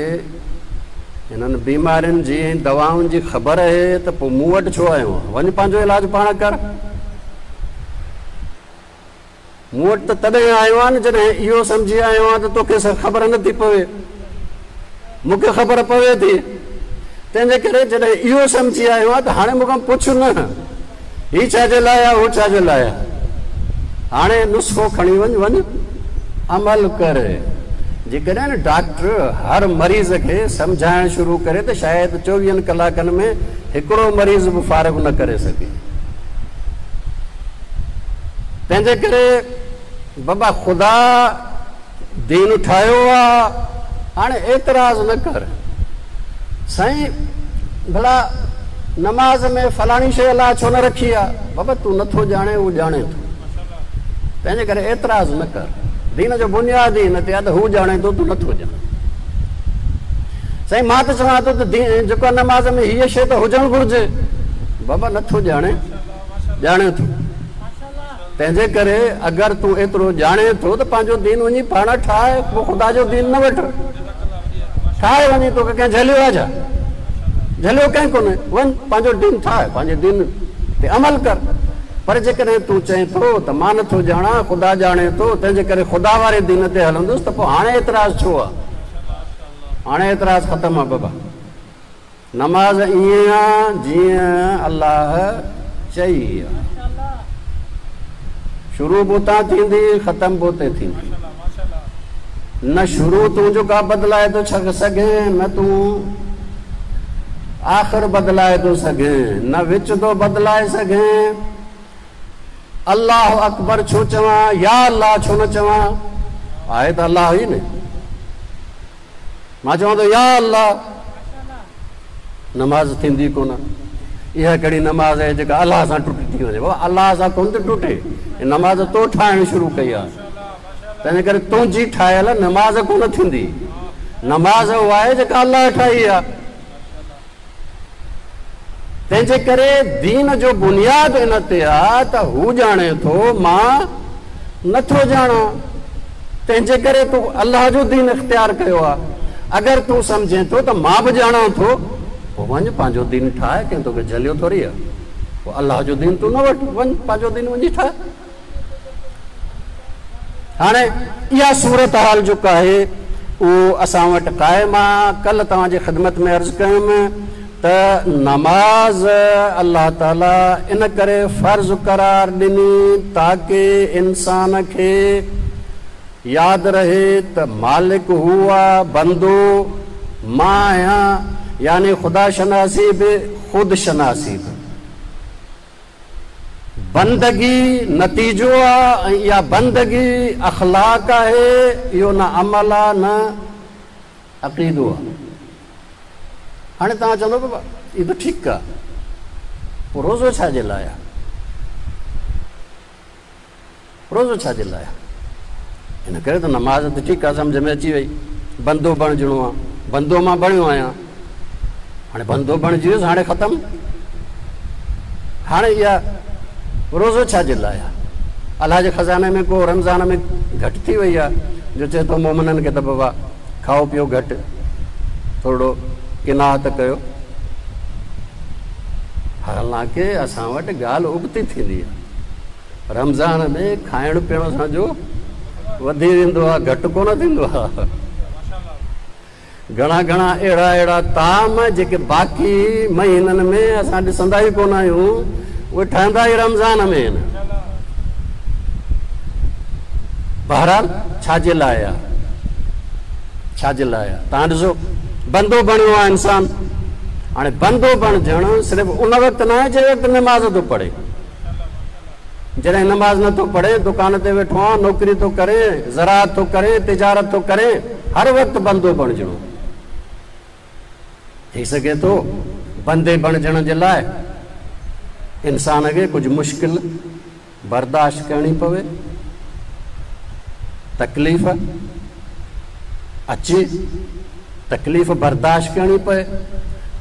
هنن بيمارين جي ۽ دوائن جي خبر اهي ته پوء مون وٽ ڇو آيو آهين؟ وڃ پنهنجو علاج پاڻ ڪر. مون وٽ ته تڏهن آيو آهين نه جڏهن اهو سمجهي آيو آهين ته توکي خبر نه ٿي پوي. مون کي خبر پوي ٿي. تنهنجي ڪري جڏهن اهو سمجهي آيو آهين ته هاڻي مون کان پڇ نه. هي ڇا جي لاء آهي، هو ڇا جي لاء آهي. هاڻي نسخو کڻي وڃ، وڃ عمل ڪر. جيڪڏهن ڊاڪٽر هر مريض کي سمجهائڻ شروع ڪري ته شايد چوويهن ڪلاڪن ۾ هڪڙو مريض به فارغ نه ڪري سگهي. تنهنجي ڪري بابا خدا دين ٺاهيو آ، هاڻي اعتراض نه ڪر. سائين! ڀلا نماز ۾ فلاڻي شيء الله ڇو نه رکي آ؟ بابا تون نه ٿو ڄاڻين هو ڄاڻي ٿو. تنهنجي ڪري اعتراض نه ڪر. دين جو بنياد ئي ان تي آ ته هو ڄاڻي ٿو تون نه ٿو ڄاڻين. سائين مان ته چوان ٿو ته جيڪو نماز ۾ هيء شيء ته هجڻ گهرجي. بابا نه ٿو ڄاڻين ڄاڻي ٿو. تنهنجي ڪري اگر تون ايترو ڄاڻين ٿو ته پنهنجو دين وڃي پاڻ ٺاهه، پوء خدا جو دين نه وٺ. ٺاهه وڃي، توکي ڪنهن جهليو آهي ڇا؟ جهليو ڪنهن ڪونهي. وڃ پنهنجو دين ٺاهه، پنهنجي دين تي عمل ڪر. پر جيڪڏهن تون چئين ٿو ته مان نٿو ڄاڻان، خدا ڄاڻي ٿو، تنهنجي ڪري خدا واري دين تي هلندس ته پوء هاڻي اعتراض ڇو آهي؟ هاڻي اعتراض ختم آهي بابا. نماز ائين آ جيئن الله چئي آ. شروع به اتان ٿيندي ختم به اتي ٿيندي. نه شروع تون جو ڪا بدلائي ٿو سگهين نه تون آخر بدلائي ٿو سگهين نه وچ ٿو بدلائي سگهين. الله اڪبر ڇو چوان يا الله ڇو نه چوان؟ آهي ته الله ئي نه. مان چوان ٿو يا الله نماز ٿيندي ڪونه اها ڪهڙي نماز آهي جيڪا الله سان ٽٽي ٿي وڃي بابا الله سان ڪونه ٿي ٽٽي نماز تو ٺاهڻ شروع ڪئي آهي تنهن ڪري تنهنجي ٺاهيل نماز ڪونه ٿيندي نماز اها آهي جيڪا الله ٺاهي آهي تنهن جي ڪري دين جو بنياد ان تي آ ته هو ڄاڻي ٿو مان نه ٿو ڄاڻان تنهن جي ڪري تو الله جو دين اختيار ڪيو آ اگر تون سمجهين ٿو ته مان به ڄاڻان ٿو پوء وڃ پنهنجو دين ٺاهه ڪنهن توکي جهليو ٿوري آ پوء الله جو دين تون نه وٺ وڃ پنهنجو دين وڃي ٺاهه. هاڻي اها صورتحال جيڪا آهي اهو اسان وٽ قائم آ. ڪلهه توهان جي خدمت ۾ عرض ڪيم ته نماز الله تعالي ان ڪري فرض قرار ڏني تاڪه انسان کي ياد رهي ته مالڪ هو آ بندو مان آهيان يعني خدا شناسي به خود شناسي به. بندگي نتيجو آ ۽ اها بندگي اخلاق آهي، اهو نه عمل آ نه عقيدو آ. هاڻي توهان چوندؤ بابا اهو ته ٺيڪ آ، پوء روزو ڇا جي لاء آ؟ روزو ڇا جي لاء آ؟ ان ڪري ته نماز ته ٺيڪ آ سمجهه ۾ اچي وئي، بندو بڻجڻو آ، بندو مان بڻيو آهيان، هاڻي بندو بڻجي ويس هاڻي ختم، هاڻي اها روزو ڇا جي لاء آ؟ الله جي خزاني ۾ ڪو رمضان ۾ گهٽ ٿي وئي آ جو چئي ٿو مومنن کي ته بابا کائو پيو گهٽ، ٿورڙو قناعت ڪيو. حالانڪه اسان وٽ ڳالهه ابتي ٿيندي آ. رمضان ۾ کائڻ پيئڻ اسان جو وڌي ويندو آهي گهٽ ڪونه ٿيندو آهي. گهڻا گهڻا اهڙا اهڙا طعام جيڪي باقي مهينن ۾ اسان ڏسندا ئي ڪونه آهيون اهي ٺهندا ئي رمضان ۾ آهن. بهرحال ڇا جي لاء آهي ڇا جي لاء آهي توهان ڏسو بندو بڻيو آهي انسان هاڻي بندو بڻجڻ صرف ان وقت نه آهي جنهن وقت نماز ٿو پڙهي. جڏهن نماز نه ٿو پڙهين، دڪان تي ويٺو آن، نوڪري ٿو ڪرين، زراعت ٿو ڪرين، تجارت ٿو ڪرين، هر وقت بندو بڻجڻو. ٿي سگهي ٿو بندي بڻجڻ جي لاء انسان کي ڪجهه مشڪل برداشت ڪرڻي پوي، تڪليف اچي، تڪليف برداشت ڪرڻي پئي.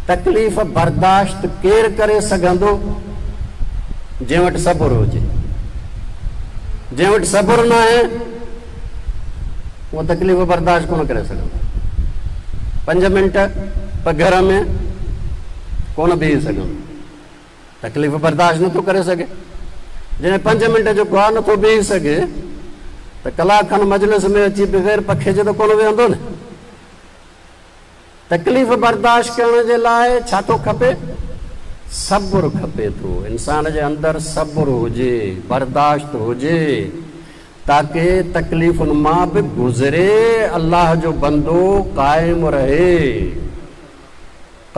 تڪليف برداشت ڪير ڪري سگهندو؟ جنهن وٽ صبر هجي. جنهن وٽ صبر ناهي اهو تڪليف برداشت ڪونه ڪري سگهندو. پنج منٽ پگهر ۾ ڪونه بيهي سگهندو. تڪليف برداشت نٿو ڪري سگهي. جڏهن پنج منٽ جو گواهه نٿو بيهي سگهي ته ڪلاڪ کن مجلس ۾ اچي بغير پکي جي ته ڪونه ويهندو نه. تڪليف برداشت ڪرڻ جي لاء ڇا ٿو کپي؟ صبر کپي ٿو. انسان جي اندر صبر هجي، برداشت هجي تاڪه تڪليفن مان به گذري الله جو بندو قائم رهي.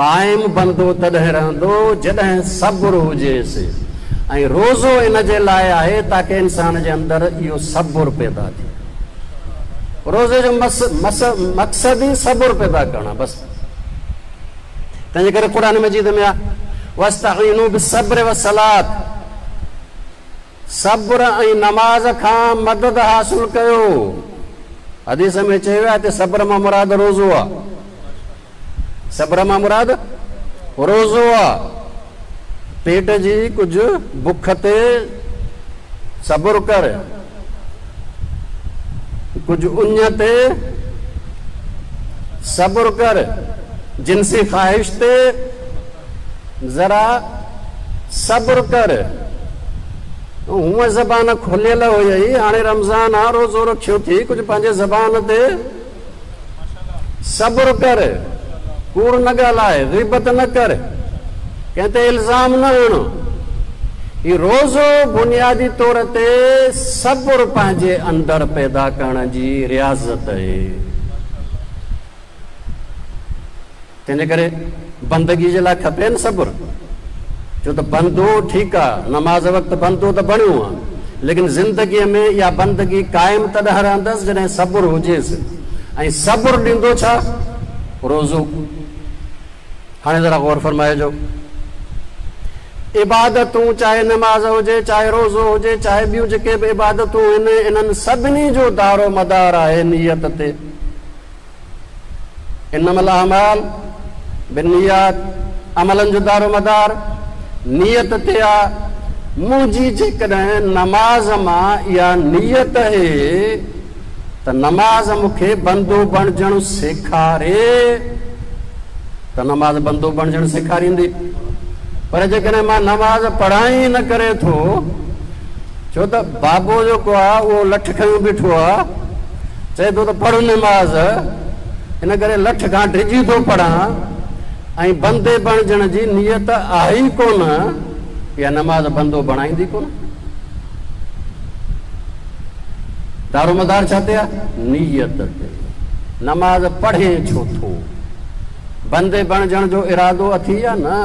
قائم بندو تڏهن رهندو جڏهن صبر هجيس ۽ روزو ان جي لاء آهي تاڪه انسان جي اندر اهو صبر پيدا ٿئي. روزي جو مقصد ئي صبر پيدا ڪرڻ آهي بس. تنهنجي ڪري قرآن مجيد ۾ آ، واستعينوا بالصبر والصلاة، صبر ۽ نماز کان مدد حاصل ڪيو. حديث ۾ چيو ويو آهي ته صبر مان مراد روزو آ. صبر مان مراد روزو آ. پيٽ جي ڪجهه بک تي صبر ڪر، ڪجهه اڃ تي صبر ڪر، جنسي خواهش تي ذرا صبر ڪر. هونء زبان کليل هئي، هاڻي رمضان آ، روزو رکيو ٿي، ڪجهه پنهنجي زبان تي صبر ڪر، ڪوڙ نه ڳالهاء، غيبت نه ڪر، ڪنهن تي الزام نه هڻ. هي روزو بنيادي طور تي صبر پنهنجي اندر پيدا ڪرڻ جي رياضت آهي. تنهنجي ڪري بندگي جي لاء کپي نه صبر، ڇو ته بندو ٺيڪ آ نماز وقت بندو ته بڻيو آ، ليڪن زندگيء ۾ اها بندگي قائم تڏهن رهندس جڏهن صبر هجيس ۽ صبر ڏيندو ڇا؟ روزو. هاڻي ذرا غور فرمائجو، عبادتون چاهي نماز هجي، چاهي روزو هجي، چاهي ٻيون جيڪي به عبادتون آهن، انهن سڀني جو دارو مدار آهي نيت تي. انما الاعمال بالنيات عملن جو دارومدار نيت تي آ، منهنجي جيڪڏهن نماز مان اها نيت اهي ته نماز مون کي بندو بڻجڻ سيکاري ته نماز بندو بڻجڻ سيکاريندي پر جيڪڏهن مان نماز پڙهان ئي نه ڪري ٿو ڇو ته بابو جيڪو آ اهو لٺ کنيو بيٺو آ، چئي ٿو ته پڙهه نماز، ان ڪري لٺ کان ڊڄي ٿو پڙهان ۽ بندي بڻجڻ جي نيت آهي ئي ڪونه، اها نماز بندو بڻائيندي ڪونه. دارومدار ڇا تي آ؟ نيت تي. نماز پڙهين ڇو ٿو؟ بندي بڻجڻ جو ارادو اٿي يا نه؟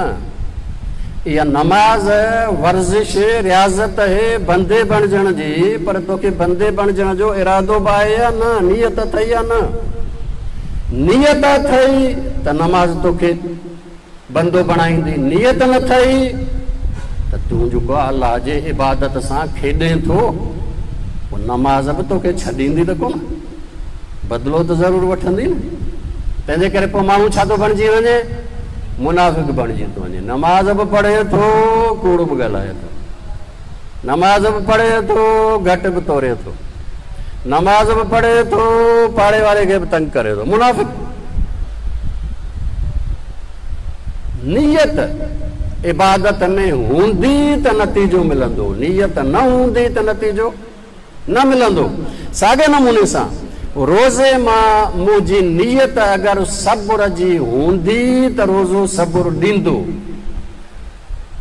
اها نماز ورزش، رياضت اهي بندي بڻجڻ جي، پر توکي بندي بڻجڻ جو ارادو به آهي يا نه؟ نيت اٿئي يا نه؟ نيت اٿئي ته نماز توکي بندو بڻائيندي، نيت نه اٿئي ته تون جيڪو الله جي عبادت سان کيڏين ٿو، پوء نماز به توکي ڇڏيندي ته ڪونه. بدلو ته ضرور وٺندي نه. تنهنجي ڪري پوء ماڻهو ڇا ٿو بڻجي وڃي؟ منافق بڻجي ٿو وڃي. نماز به پڙهي ٿو، ڪوڙ به ڳالهائي ٿو. نماز به پڙهي ٿو، گهٽ به توري ٿو. نماز به پڙهي ٿو، پاڙي واري کي به تنگ ڪري ٿو. منافق. نيت عبادت ۾ هوندي ته نتيجو ملندو، نيت نه هوندي ته نتيجو نه ملندو. ساڳئي نموني سان روزي مان منهنجي نيت اگر صبر جي هوندي ته روزو صبر ڏيندو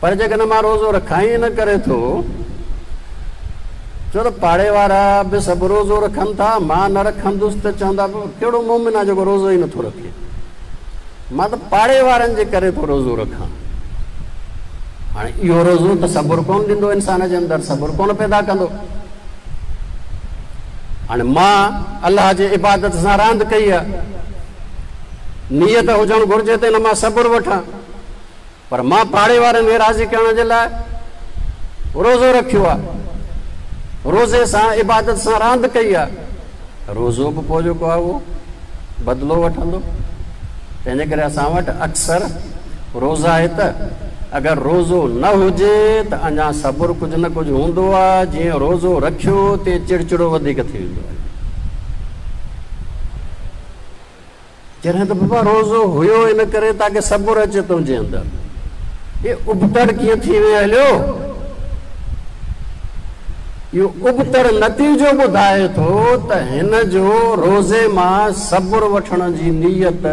پر جيڪڏهن مان روزو رکان ئي نه ڪري ٿو ڇو ته پاڙي وارا به سڀ روزو رکن ٿا مان نه رکندس ته چوندا ڪهڙو مومن آهي جيڪو روزو ئي نٿو رکي. مان ته پاڙي وارن جي ڪري ٿو روزو رکان. هاڻي اهو روزو ته صبر ڪونه ڏيندو، انسان جي اندر صبر ڪونه پيدا ڪندو. هاڻي مان الله جي عبادت سان راند ڪئي آهي، نيت هجڻ گهرجي ته ان مان صبر وٺان، پر مان پاڙي وارن کي راضي ڪرڻ جي لاء روزو رکيو آهي، روزي سان عبادت سان راند ڪئي آهي، روزو به پوء جيڪو آهي اهو بدلو وٺندو. تنهن جي ڪري اسان وٽ اڪثر روزا آهي ته اگر روزو نه هجي ته اڃا صبر ڪجهه نه ڪجهه هوندو آهي، جيئن روزو رکيو تيئن چڙچڙو وڌيڪ ٿي ويندو آهي. جڏهن ته بابا روزو هيو ان ڪري تاڪه صبر اچي تنهنجي اندر. هي ابتڙ ڪيئن ٿي وئين هليو؟ اهو ابتڙ نتيجو ٻڌائي ٿو ته هن جو روزي مان صبر وٺڻ جي نيت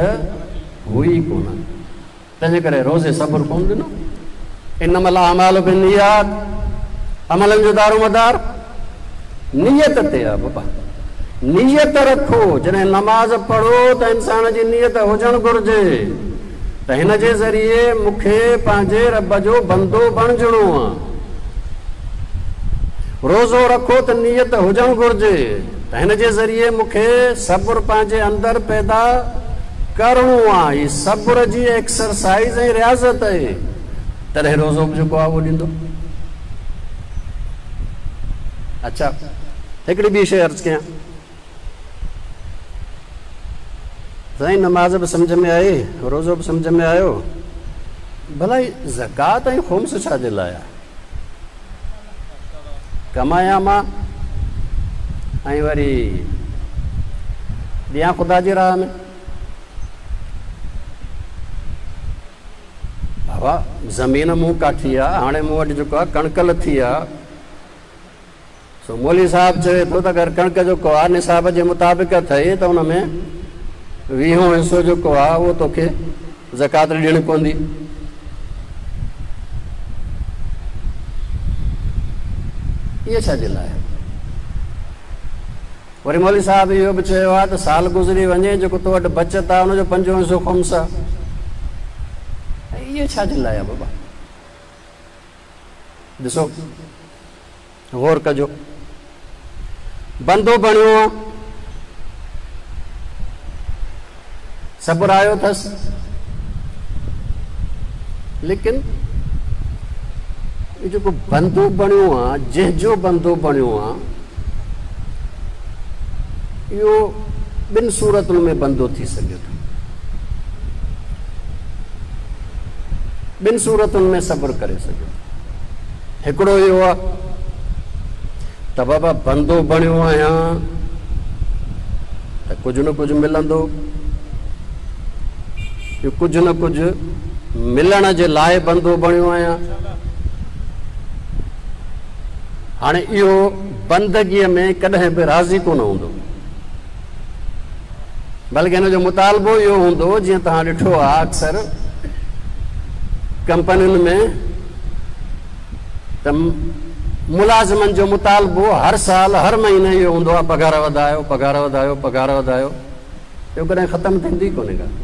هئي ڪونه. تنهنجي ڪري روزي صبر ڪونه ڏنو. انما الاعمال بالنيات، عملن جو دارومدار نيت تي آهي بابا. نيت رکو، جڏهن نماز پڙهو ته انسان جي نيت هجڻ گهرجي ته هن جي ذريعي مون کي پنهنجي رب جو بندو بڻجڻو آهي. روزو رکو ته نيت هجڻ گهرجي ته هن جي ذريعي مون کي صبر پنهنجي اندر پيدا ڪرڻو آ، هي صبر جي ايڪسرسائيز ۽ رياضت آهي، تڏهن روزو به جيڪو آ اهو ڏيندو. اڇا هڪڙي ٻي شيء عرض ڪيان. سائين نماز به سمجهه ۾ آئي، روزو به سمجهه ۾ آيو، ڀلا هي زڪوات ۽ خمس ڇا جي لاء آهي؟ ڪمايان مان ۽ وري ڏيان خدا جي راهه ۾. بابا زمين مون ڪاٺي آ، هاڻي مون وٽ جيڪو آ ڪڻڪ لٿي آ. سو مولوي صاحب چوي ٿو ته اگر ڪڻڪ جيڪو آ نصاب جي مطابق اٿئي ته ان ۾ ويهون حصو جيڪو آ اهو توکي زڪوات ڏيڻي پوندي. اهي ڇا جي لاء؟ وري مولوي صاحب اهو به چيو آهي ته سال گذري وڃي جيڪو تو وٽ بچت آهي ان جو پنجون حصو خمس آهي. اهي ڇا جي لاء آهي بابا؟ ڏسو غور ڪجو. بندو بڻيو آ، صبر آيو اٿس، ليڪن هي جيڪو بندو بڻيو آ، جنهن جو بندو بڻيو آ، اهو ٻن صورتن ۾ بندو ٿي سگهي ٿو. ٻن صورتن ۾ صبر ڪري سگهي ٿو. هڪڙو اهو آ ته بابا بندو بڻيو آهيان ته ڪجهه نه ڪجهه ملندو، اهو ڪجهه نه ڪجهه ملڻ جي لاء بندو بڻيو آهيان. هاڻي اهو بندگيء ۾ ڪڏهن به راضي ڪونه هوندو، بلڪه هن جو مطالبو اهو هوندو جيئن توهان ڏٺو آهي اڪثر ڪمپنين ۾ ته ملازمن جو مطالبو هر سال هر مهيني اهو هوندو آهي پگهار وڌايو پگهار وڌايو پگهار وڌايو، اهو ڪڏهن ختم ٿيندي ڪونهي ڳالهه.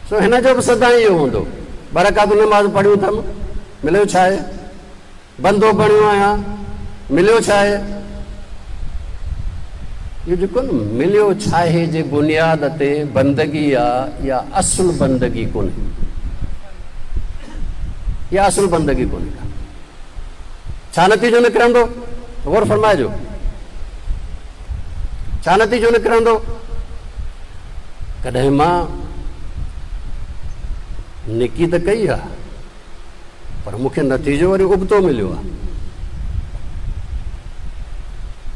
سو هن جو به سدائين اهو هوندو، ٻه رڪعتون نماز پڙهيون اٿم مليو ڇا آهي؟ بندو بڻيو آهيان، مليو ڇا آهي؟ اهو جيڪو نه مليو ڇاهي جي بنياد تي بندگي آ، اها اصل بندگي ڪونهي. اها اصل بندگي ڪونهي ڪا. ڇا نتيجو نڪرندو؟ غور فرمائجو. ڇا نتيجو نڪرندو؟ ڪڏهن مان نيڪي ته ڪئي آ، پر مون کي نتيجو وري ابتو مليو آهي.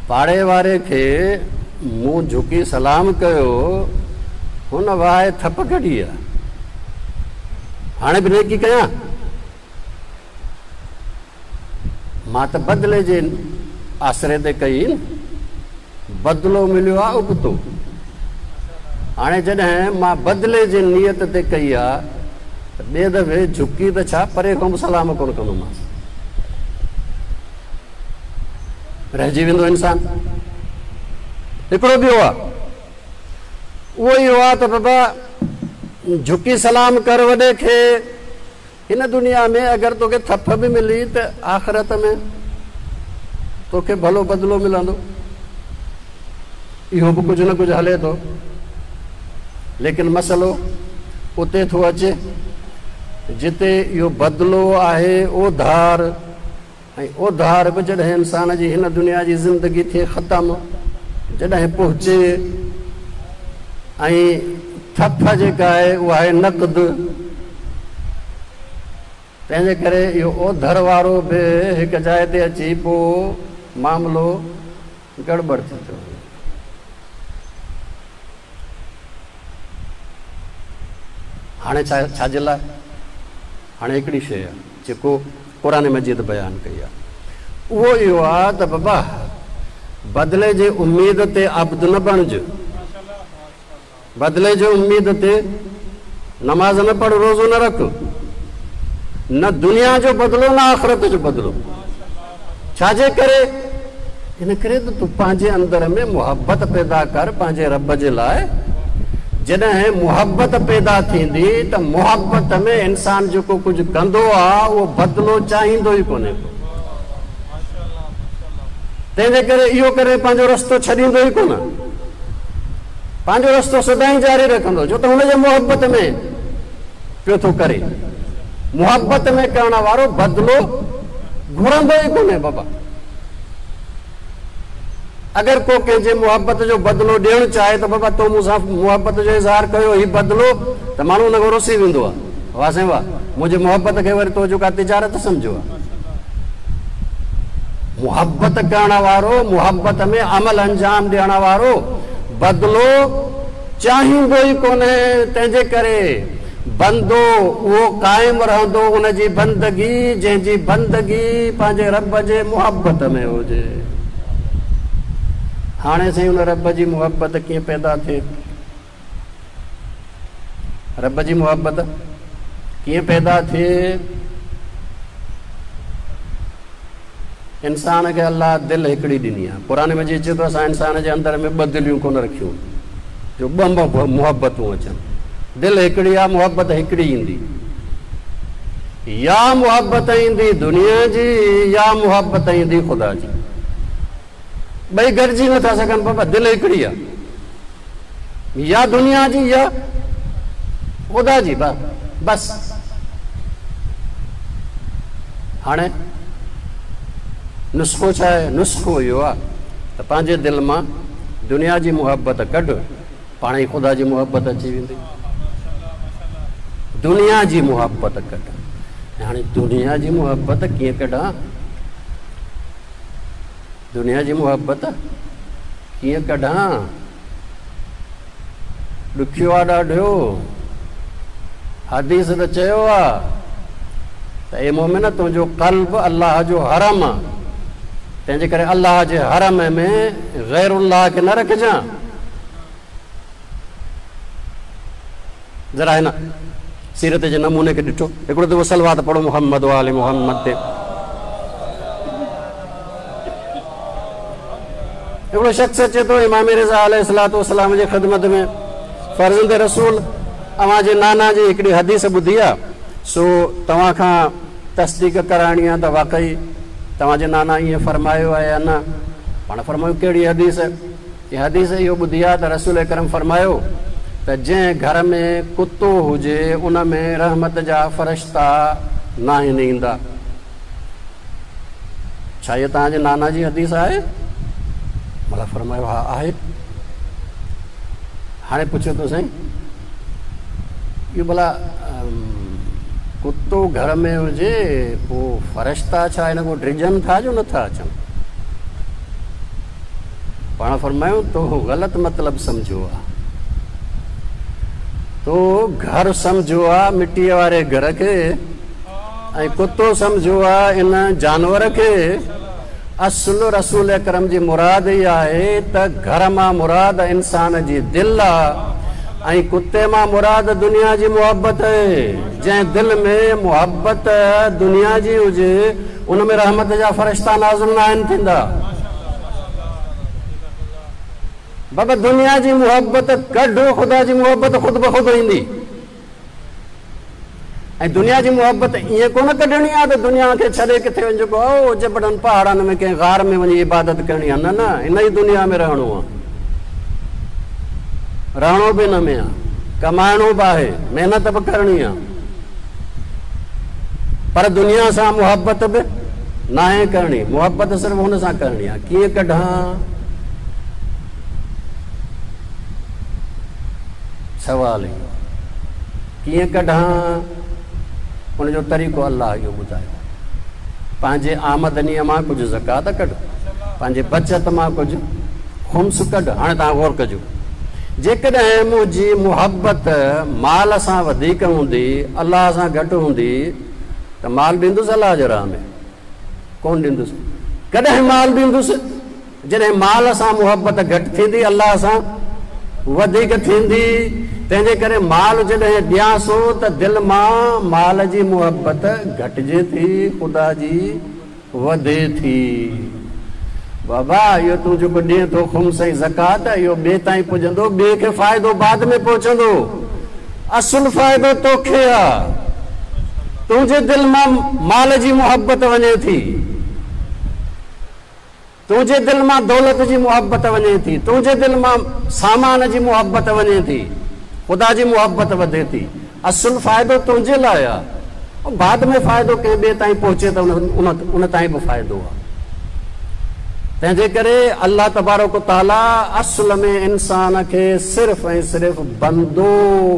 پاڙي واري کي مون جهڪي سلام ڪيو، هن وهائي ٿپ ڪڍي آهي. هاڻي به نيڪي ڪيان؟ مان ته بدلي جي آسري تي ڪئي نه، بدلو مليو آهي ابتو. هاڻي جڏهن مان بدلي جي نيت تي ڪئي آ ته ٻئي دفعي جهڪي ته ڇا پري کان به سلام ڪونه ڪندومانس. رهجي ويندو انسان. هڪڙو ٻيو آ، اهو اهو آ ته بابا جهڪي سلام ڪر وڏي کي. هن دنيا ۾ اگر توکي ٿڦ به ملي ته آخرت ۾ توکي ڀلو بدلو ملندو. اهو به ڪجهه نه ڪجهه هلي ٿو. ليڪن مسئلو اتي ٿو اچي جتي اهو بدلو آهي اوڌار ۽ اوڌار به جڏهن انسان جي هن دنيا جي زندگي ٿئي ختم، جڏهن پهچي ۽ ٿڦ جيڪا آهي اها آهي نقد، تنهن جي ڪري اهو اوڌر وارو به هڪ جاء تي اچي پوء معاملو گڙٻڙ ٿي ٿو وڃي. هاڻي ڇا ڇا جي لاء؟ هاڻي هڪڙي شيء آهي جيڪو قرآن مجيد بيان ڪئي آهي اهو اهو آهي ته بابا بدلي جي اميد تي عبد نه بڻج، بدلي جي اميد تي نماز نه پڙهه، روزو نه رک، نه دنيا جو بدلو نه آخرت جو بدلو. ڇا جي ڪري؟ ان ڪري ته تون پنهنجي اندر ۾ محبت پيدا ڪر پنهنجي رب جي لاء. جڏهن محبت پيدا ٿيندي ته محبت ۾ انسان جيڪو ڪجهه ڪندو آ اهو بدلو چاهيندو ئي ڪونهي ڪو. تنهن جي ڪري اهو ڪڏهن پنهنجو رستو ڇڏيندو ئي ڪونه. پنهنجو رستو سدائين جاري رکندو، ڇو ته هن جي محبت ۾ پيو ٿو ڪري. محبت ۾ ڪرڻ وارو بدلو گهرندو ئي ڪونهي بابا. اگر ڪو ڪنهن جي محبت جو بدلو ڏيڻ چاهي ته بابا تو مون سان محبت جو اظهار ڪيو هي بدلو ته ماڻهو ان کان رسي ويندو آهي. واه سائين واه منهنجي محبت کي وري تو جو ڪا تجارت سمجهيو آهي. محبت ڪرڻ وارو محبت ۾ عمل انجام ڏيڻ وارو بدلو چاهيندو ئي ڪونهي تنهن جي ڪري بندو اهو قائم رهندو ان جي بندگي جنهن جي بندگي پنهنجي رب جي محبت ۾ هجي. هاڻي سائين ان رب جي محبت ڪيئن پيدا ٿئي؟ رب جي محبت ڪيئن پيدا ٿئي؟ انسان کي الله دل هڪڙي ڏني آهي. قرآن مجيد چئي ٿو اسان انسان جي اندر ۾ ٻه دليون ڪونه رکيون جو ٻه محبتون اچن. دل هڪڙي آهي محبت هڪڙي ايندي. يا محبت ايندي دنيا جي يا محبت ايندي خدا جي. ٻئي گڏجي نٿا سگهن بابا دل هڪڙي آهي. يا دنيا جي يا خدا جي بس. هاڻي نسخو ڇا آهي؟ نسخو اهو آهي ته پنهنجي دل مان دنيا جي محبت ڪڍ، پاڻ ئي خدا جي محبت اچي ويندي. دنيا جي محبت ڪڍ. هاڻي دنيا جي محبت ڪيئن ڪڍان؟ دنيا جي محبت ڪيئن ڪڍان؟ ڏکيو آ ڏاڍو. حديث ته چيو آ ته اي مومن تنهنجو قلب الله جو حرم آ، تنهنجي ڪري الله جي حرم ۾ غير الله کي نه رکجان. ذرا هن سيرت جي نموني کي ڏٺو. هڪڙو دفعو صلوات پڙهو محمد وآل محمد تي. هڪڙو شخص اچي ٿو امام رضا عليه الصلوة والسلام جي خدمت ۾، فرزند رسول اوهان جي نانا جي هڪڙي حديث ٻڌي آ، سو توهان کان تصديق ڪرائڻي آ ته واقعي توهان جي نانا ائين فرمايو آهي يا نه؟ پاڻ فرمايو ڪهڙي حديث؟ چي حديث اهو ٻڌي آ ته رسول اڪرم فرمايو ته جنهن گهر ۾ ڪتو هجي ان ۾ رحمت جا فرشتا ناهن ايندا. ڇا اها توهان جي نانا جي حديث آهي؟ ملا فرمايو ها آهي. هاڻي پڇيو ٿو سائين اهو ڀلا ڪتو گهر ۾ هجي پوء فرشتا ڇا هن کان ڊڄن ٿا جو نٿا اچن؟ پاڻ فرمايو تو غلط مطلب سمجهيو آ. تو گهر سمجهيو آ مٽيء واري گهر کي ۽ ڪتو سمجهيو آ ان جانور کي. اصل رسول اڪرم جي مراد اها آهي ته گهر مان مراد انسان جي دل آ ۽ ڪتي مان مراد دنيا جي محبت اهي. جنهن دل ۾ محبت دنيا جي هجي ان ۾ رحمت جا فرشتا نازل ناهن ٿيندا. بابا دنيا جي محبت ڪڍ خدا جي محبت خود بخود ايندي. ۽ دنيا جي محبت ائين ڪونه ڪڍڻي آهي ته دنيا کي ڇڏي ڪٿي وڃي جيڪو او جبڙن پهاڙن ۾ ڪنهن غار ۾ وڃي عبادت ڪرڻي آهي نه نه هن ئي دنيا ۾ رهڻو آهي رهڻو به هن ۾ آهي ڪمائڻو به آهي محنت به ڪرڻي آهي پر دنيا سان محبت به ناهي ڪرڻي محبت صرف هن سان ڪرڻي آهي ڪيئن ڪڍان سوال اهو آهي ڪيئن ڪڍان؟ ان جو طريقو الله اهو ٻڌايو آهي. پنهنجي آمدنيء مان ڪجهه زڪوات ڪڍ، پنهنجي بچت مان ڪجهه خمس ڪڍ. هاڻي توهان غور ڪجو، جيڪڏهن منهنجي محبت مال سان وڌيڪ هوندي، الله سان گهٽ هوندي ته مال ڏيندس الله جي راهه ۾؟ ڪونه ڏيندس. ڪڏهن مال ڏيندس؟ جڏهن مال سان محبت گهٽ ٿيندي الله سان وڌيڪ ٿيندي، تنهنجي ڪري مال جڏهن ڏيان سو ته دل مان مال جي محبت گهٽجي ٿي خدا جي وڌي ٿي. بابا اهو تون جيڪو ڏين ٿو خمس ۽ زڪوات اهو ٻئي تائين پڄندو، ٻئي کي فائدو بعد ۾ پهچندو، اصل فائدو توکي آ، تنهنجي دل مان مال جي محبت وڃي ٿي. تنهنجي دل مان دولت جي محبت وڃي ٿي، تنهنجي دل مان سامان جي محبت وڃي ٿي، خدا جي محبت وڌي ٿي. اصل فائدو تنهنجي لاء آ. بعد ۾ فائدو ڪنهن ٻئي تائين پهچي ته ان تائين به فائدو آ. تنهن جي ڪري الله تبارڪ و تعاليٰ اصل ۾ انسان کي صرف ۽ صرف بندو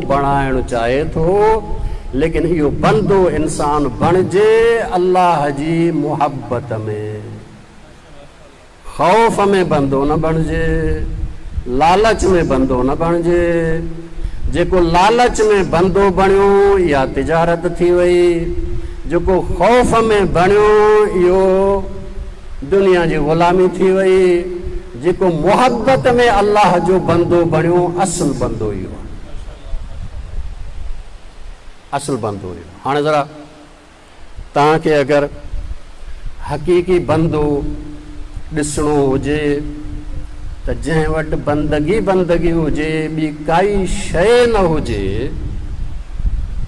بڻائڻ چاهي ٿو، ليڪن اهو بندو انسان بڻجي الله جي محبت ۾. خوف ۾ بندو نه بڻجي، لالچ ۾ بندو نه بڻجي. جيڪو لالچ ۾ بندو بڻيو اها تجارت ٿي وئي، جيڪو خوف ۾ بڻيو اهو دنيا جي غلامي ٿي وئي، جيڪو محبت ۾ الله جو بندو بڻيو اصل بندو اهو آهي. اصل بندو اهو. هاڻي ذرا توهان کي اگر حقيقي بندو ڏسڻو هجي ته جنهن وٽ بندگي بندگي هجي ٻي ڪائي شيء نه هجي،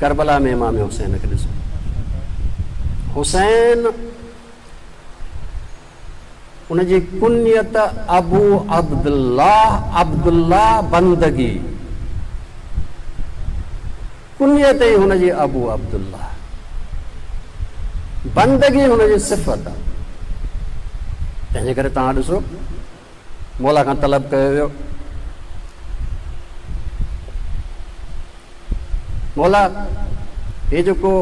ڪربلا ۾ امام حسين کي ڏسو. حسين ان جي ڪنيت ابو عبدالله، عبدالله بندگي، ڪنيت ئي هن جي ابو عبدالله، بندگي هن جي صفت آ. تنهن جي ڪري توهان ڏسو مولا کان طلب ڪيو ويو، مولا هي جيڪو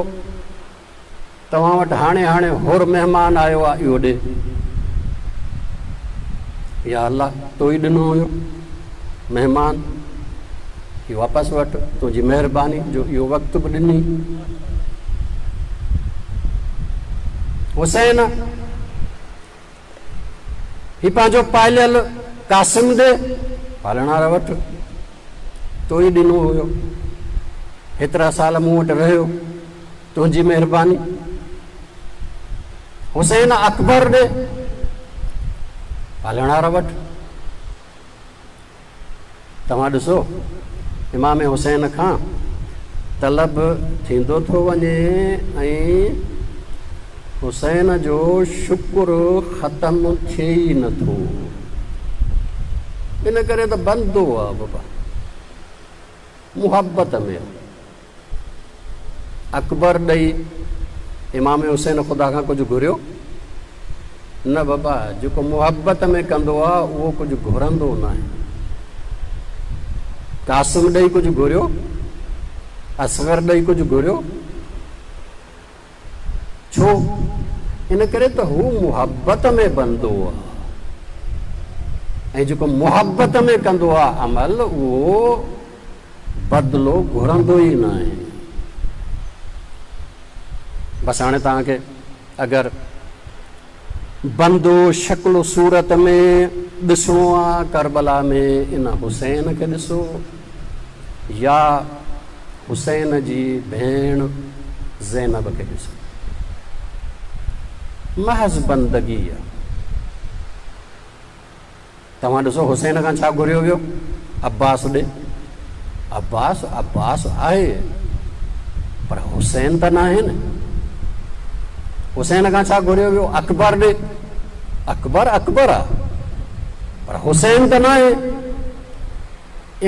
توهان وٽ هاڻي هاڻي حر مهمان آيو آ اهو ڏي. يا الله تو ئي ڏنو هيو مهمان اهو واپس وٺ تنهنجي مهرباني جو اهو وقت به ڏني. حسين هي پنهنجو پاليل قاسم ڏي، پالڻهار وٺ تو ئي ڏنو هيو هيترا سال مون وٽ رهيو. تنهنجي مهرباني. حسين اڪبر ڏي پالڻهار وٺ. توهان ڏسو امام حسين کان طلب ٿيندو ٿو وڃي ۽ حسين جو شڪر ختم ٿئي ئي نٿو. ان ڪري ته بندو آ بابا محبت ۾. اڪبر ڏئي امام حسين خدا کان ڪجهه گهريو؟ نه بابا، جيڪو محبت ۾ ڪندو آ اهو ڪجهه گهرندو ناهي. قاسم ڏئي ڪجهه گهريو؟ اصغر ڏئي ڪجهه گهريو؟ ڇو؟ ان ڪري ته هو محبت ۾ بندو آ ۽ جيڪو محبت ۾ ڪندو آ عمل اهو بدلو گهرندو ئي ناهي. بس هاڻي توهان کي اگر بندو شڪل و صورت ۾ ڏسڻو آ ڪربلا ۾ ان حسين کي ڏسو يا حسين جي ڀيڻ زينب کي ڏسو. محض بندگي آ. توهان ڏسو حسين کان ڇا گهريو ويو؟ عباس ڏي. عباس عباس آهي پر حسين ته ناهي نه. حسين کان ڇا گهريو ويو؟ اڪبر ڏي. اڪبر اڪبر آ پر حسين ته ناهي.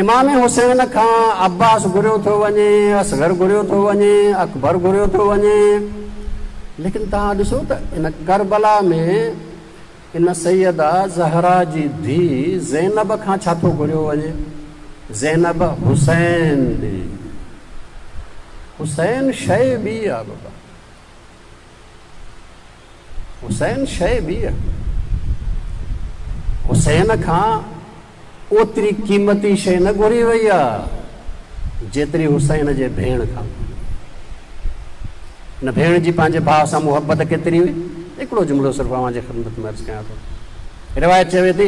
امام حسين کان عباس گهريو ٿو وڃي، اصغر گهريو ٿو وڃي، اڪبر گهريو ٿو وڃي، ليڪن توهان ڏسو ته ان ڪربلا ۾ ان سيده زهرا جي ڌيء زينب کان ڇا ٿو گهريو وڃي؟ زينب حسين ڏي. حسين شيء ٻي آ بابا. حسين شيء ٻي آ. حسين کان اوتري قيمتي شيء نه گهري وئي آ جيتري حسين جي ڀيڻ کان گهري وئي. ان ڀيڻ جي پنهنجي ڀاء سان محبت ڪيتري هئي؟ هڪڙو جملو صرف اوهان جي خدمت ۾ عرض ڪيان ٿو. روايت چوي ٿي،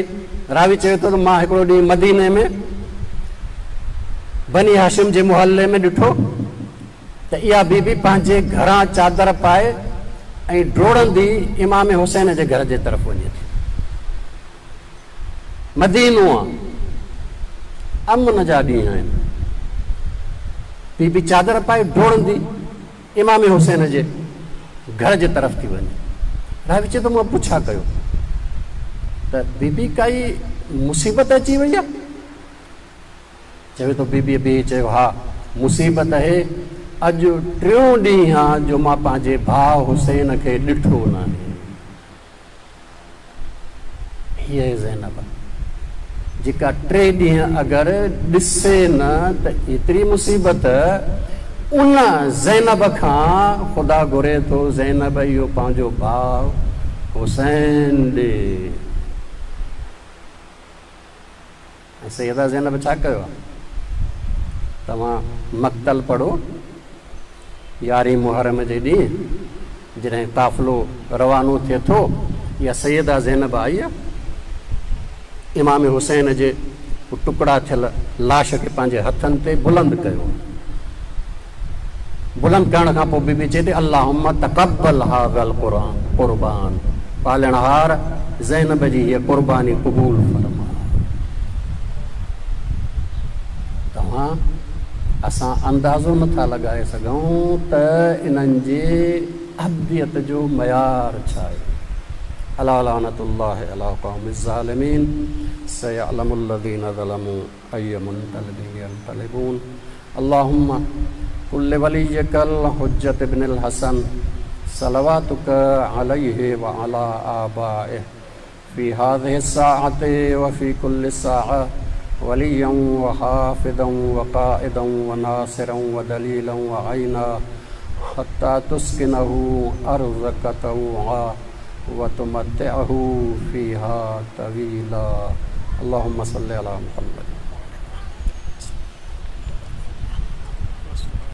راوي چوي ٿو ته مان هڪڙو ڏينهن مديني ۾ بني هاشم جي محلي ۾ ڏٺو ته اها بي بي پنهنجي گهران چادر پائي ۽ ڊوڙندي امام حسين جي گهر جي طرف وڃي ٿي. مدينو آ، امن جا ڏينهن آهن. بي بي چادر پائي ڊوڙندي امام حسين جي گهر جي طرف ٿي وڃي. راوي چئي ٿو مان پڇا ڪيو. ته بيبي ڪائي مصيبت اچي وئي آهي؟ چوي ٿو بيبيء بيهي چيو ها مصيبت اهي اڄ ٽيون ڏينهن آ جو مان پنهنجي ڀاء حسين کي ڏٺو ناهي. هيء آهي زينب جيڪا ٽي ڏينهن اگر ڏسي نه ته ايتري مصيبت ان زينب کان خدا گهري ٿو زينب اهو پنهنجو ڀاء حسين ڏي. ۽ سيده زينب ڇا ڪيو آهي؟ توهان مقتل پڙهو، يارهين محرم جي ڏينهن جڏهن قافلو روانو ٿئي ٿو، اها سيده زينب آئي آهي، امام حسين جي ٽڪڙا ٿيل لاش کي پنهنجي هٿن تي بلند ڪيو. بلند ڪرڻ کان پوء بي بي چئي ٿي، اللهم تقبل هذا القرآن قربان، پالڻهار زينب جي هيء قرباني قبول فرماء. توهان اسان اندازو نه ٿا لڳائي سگهون ته انهن جي عبديت جو معيار ڇا آهي. الا لعنة الله علي القوم الظالمين سيعلم الذين ظلموا اي منقلب ينقلبون اللهم قل لوليك الحجة ابن الحسن صلواتك عليه وعلى آبائه في هذه الساعة وفي كل ساعة وليا وحافظا وقائدا وناصرا ودليلا وعينا حتى تسكنه أرضك طوعا وتمتعه فيها طويلا اللهم صل على محمد.